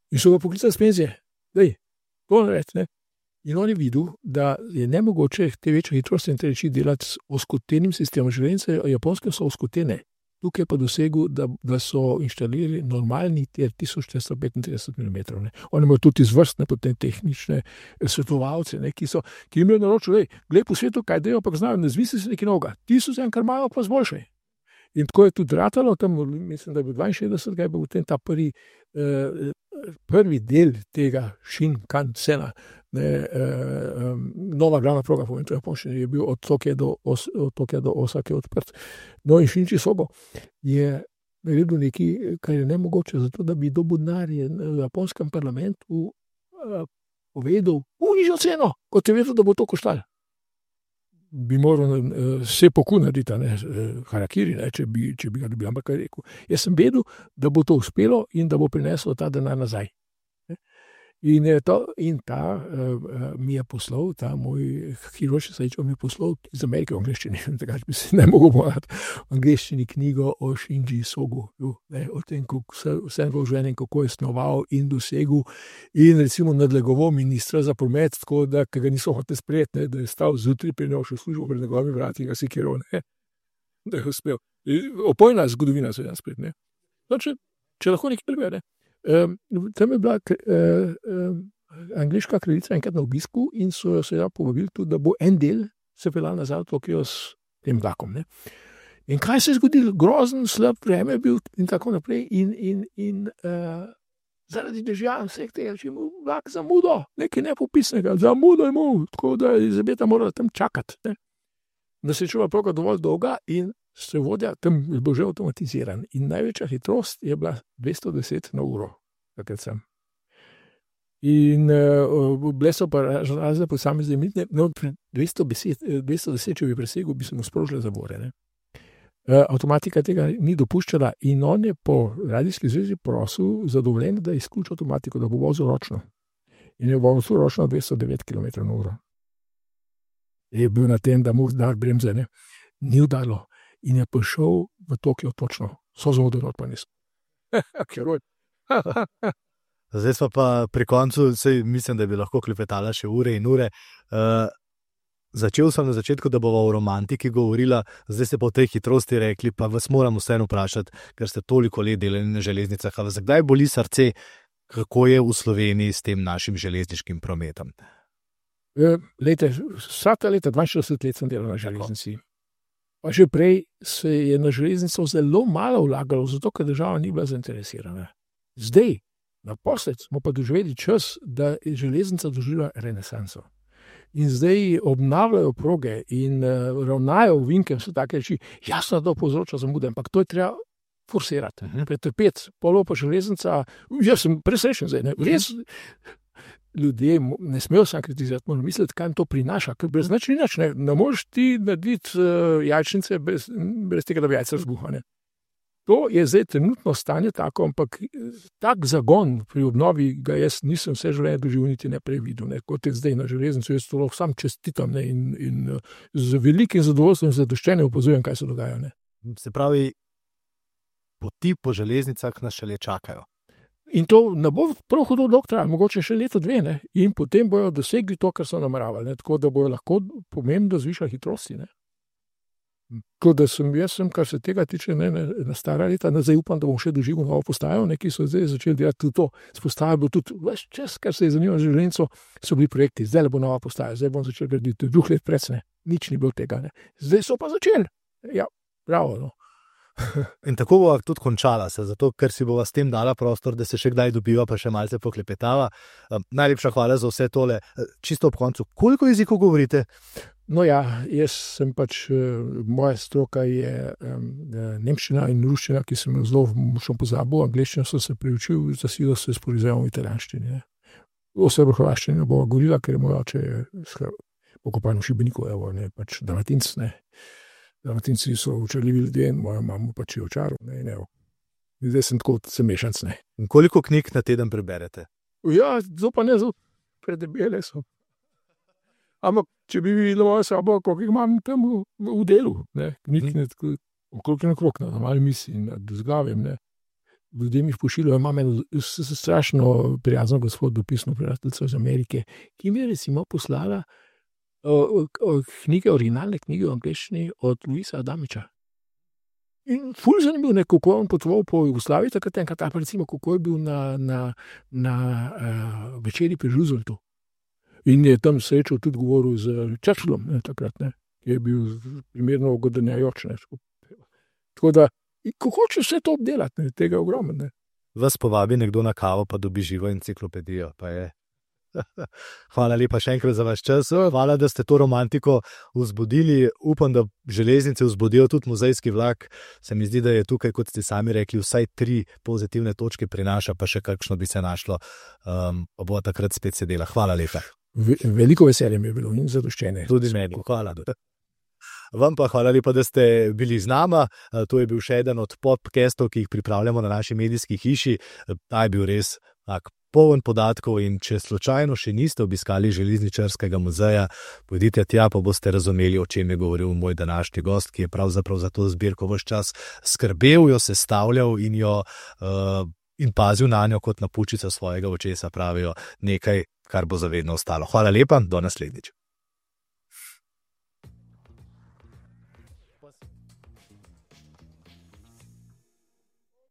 In so ga poklicali s penzije. Dej, to naredi, ne. In on je videl, da je nemogoče te večje hitrosti in te reči delati s oskotenim sistemom. Železnice japonske so oskotene. Tukaj pa dosegel, da so inštalirali normalni tir 1435 mm. Oni imajo tudi izvrstne potem tehnične svetovalce, ne, ki jim je naročil, glej po svetu, kaj dejo, pa znajo, ne zmisli se nekaj novega. Ti so se kar malo pa zboljšaj. In tako je tudi ratalo, tam mislim, da je bil 62, je bil potem ta prvi del tega Shinkansena, nova glavna proga, povem, to je bil od Tokija do Osake odprt. No in Shinji Sogo je naredil nekaj, kar je nemogoče, zato da bi dobil denar v japonskem parlamentu povedal nižjo ceno, kot je vedel, da bo to koštalo. Bi moral sepoku narediti, harakiri, če bi ga dobil, ampak kaj rekel. Jaz sem vedel, da bo to uspelo in da bo prineslo ta denar nazaj. In ta mi je poslal, ta moj Hiroshi Saijo mi je poslal iz Amerike v angleščini, tako bi se ne mogel povedati v angleščini knjigo o Shinji Sogu, o tem, vse vloženem, kako je snoval in dosegel in recimo nadlegoval ministra za promet, tako da ga niso hoteli sprejeti, da je stal zjutraj pri njemu še službo pred njegovimi vrati in ga sekiral, da je uspel. Opojna zgodovina se je spet, ne. No, če lahko nekaj prebe, tam je bila angleška kraljica enkrat na obisku in so jo seveda povabili tudi, da bo en del se peljal nazaj v Tokio s tem vlakom. Ne. In kaj se je zgodilo? Grozen, slab vreme je bil in tako naprej in zaradi dežja vseh tega, če je imel vlak zamudo, nekaj nepopisnega, zamudo je imel, tako da je Elizabeta morala tam čakati. Ne. Da se je čula proga dovolj dolga in strojevodja tam je bil že avtomatiziran in največja hitrost je bila 210 na uro, takrat sem. In bile so pa razne posamezne limitne, 210, če bi presegel, bi se mu sprožile zavore. Ne. Avtomatika tega ni dopuščala in on je po radijski zvezi prosil za dovoljenje, da izključi avtomatiko, da bo vozil ročno. In je vozil ročno 209 km na uro. Je bil na tem, da mu dar bremze, ne. Ni udarilo. In je prišel v Tokio točno, so zamudili od pa niso. Heroj. Zdaj smo pa pri koncu, mislim, da bi lahko klepetala še ure in ure. Začel sem na začetku, da bova o romantiki govorila, zdaj ste pa o tej hitrosti rekli, pa vas moram vseeno vprašati, ker ste toliko let delali na železnicah, a vas kdaj boli srce, kako je v Sloveniji s tem našim železniškim prometom? Vsa ta leta, 42 let sem delal na železnici. Pa že prej se je na železnico zelo malo vlagalo, zato ker država ni bila zainteresirana. Zdaj, naposled, smo pa doživeli čas, da je železnica doživela renesanso. In zdaj obnavljajo proge in ravnajo ovinke, so take reči, jasno, da povzroča zamude, ampak to je treba forsirati, pretrpeti. Polo pa železnica, jaz sem presrečen zdaj, ne, res. Ljudje ne smejo sam kritizirati, moram misliti, kaj jim to prinaša, ker brez nič ni nič, ne moreš ti narediti jajčnice brez tega, da bi jajce razbuha. To je zdaj trenutno stanje tako, ampak tak zagon pri obnovi ga jaz nisem vse življenje doživel niti ne previdel, kot je zdaj na železnici, jaz to sam čestitam in z velikim zadovoljstvom in zadoščenjem opazujem, kaj se dogaja. Ne. Se pravi, poti po železnicah nas šele čakajo. In to ne bo prav hudo dolgo trajalo, mogoče še leto, dve, ne? In potem bojo dosegli to, kar so nameravali, ne? Tako da bojo lahko pomembno zvišali hitrosti. Ne? Tako da jaz sem, kar se tega tiče, na stara leta, zdaj upam, da bom še doživel novo postajo, ki so zdaj začeli delati tudi to. Postaja bo tudi ves čas, kar se je zanimalo železnico, so bili projekti, zdaj bo nova postaja, zdaj bom začel graditi, 2 let pred, nič ni bilo tega. Ne? Zdaj so pa začeli. Ja, bravo, no. In tako bova tudi končala se, zato ker si bova s tem dala prostor, da se še kdaj dobiva, pa še malce poklepetava. Najlepša hvala za vse tole. Čisto ob koncu, koliko jezikov govorite? No ja, jaz sem moja stroka je nemščina in ruščina, ki sem jo zelo močno pozabil, angleščino sem se priučil, za silo se sporizujem v italijanščini. V srbohrvaščini bova govorila, ker je moj oče pokopan v Šibeniku, pač Dalmatinc, ne. Dalmatinci so očarljivi ljudje in moja mama pač je očaril, ne. Zdaj sem tako mešanc, ne. In koliko knjig na teden preberete? Ja, zelo predebele so. Ampak, če bi videla mojo sobo, koliko jih imam tam v delu, ne, okrog na malo misli, z glavem, ne. Ljudje mi pošiljajo, imam strašno prijazno gospod, dopisno prijateljico iz Amerike, ki mi je recimo poslala originalne knjige v angleščini od Luisa Adamiča. In ful zanimivo, kako on potoval po Jugoslaviji, takrat recimo, kako je bil na večeri pri Rooseveltu. In je tam srečal tudi govoril z Churchillom, takrat, ne, ki je bil primerno ugodenjajoč. Tako da, ko hoče vse to obdelati, tega je ogromno, ne. Vas povabi nekdo na kavo, pa dobi živo enciklopedijo, pa je. Hvala lepa še enkrat za vaš čas. Hvala, da ste to romantiko vzbudili. Upam, da železnice vzbudijo tudi muzejski vlak. Se mi zdi, da je tukaj, kot ste sami rekli, vsaj 3 pozitivne točke prinaša, pa še kakšno bi se našlo. Bo takrat spet sedela. Hvala lepa. Veliko veselje mi je bilo in zadoščenje. Tudi meni. Hvala. Vam pa hvala lepa, da ste bili z nama. To je bil še eden od podcastov, ki jih pripravljamo na naši medijski hiši. Ta je bil res poln podatkov in če slučajno še niste obiskali železničarskega muzeja, pojdite tja, pa boste razumeli, o čem je govoril moj današnji gost, ki je pravzaprav za to zbirko ves čas skrbel, jo sestavljal in pazil na njo kot na pučico svojega očesa, pravijo, nekaj, kar bo zavedno ostalo. Hvala lepa, do naslednjič.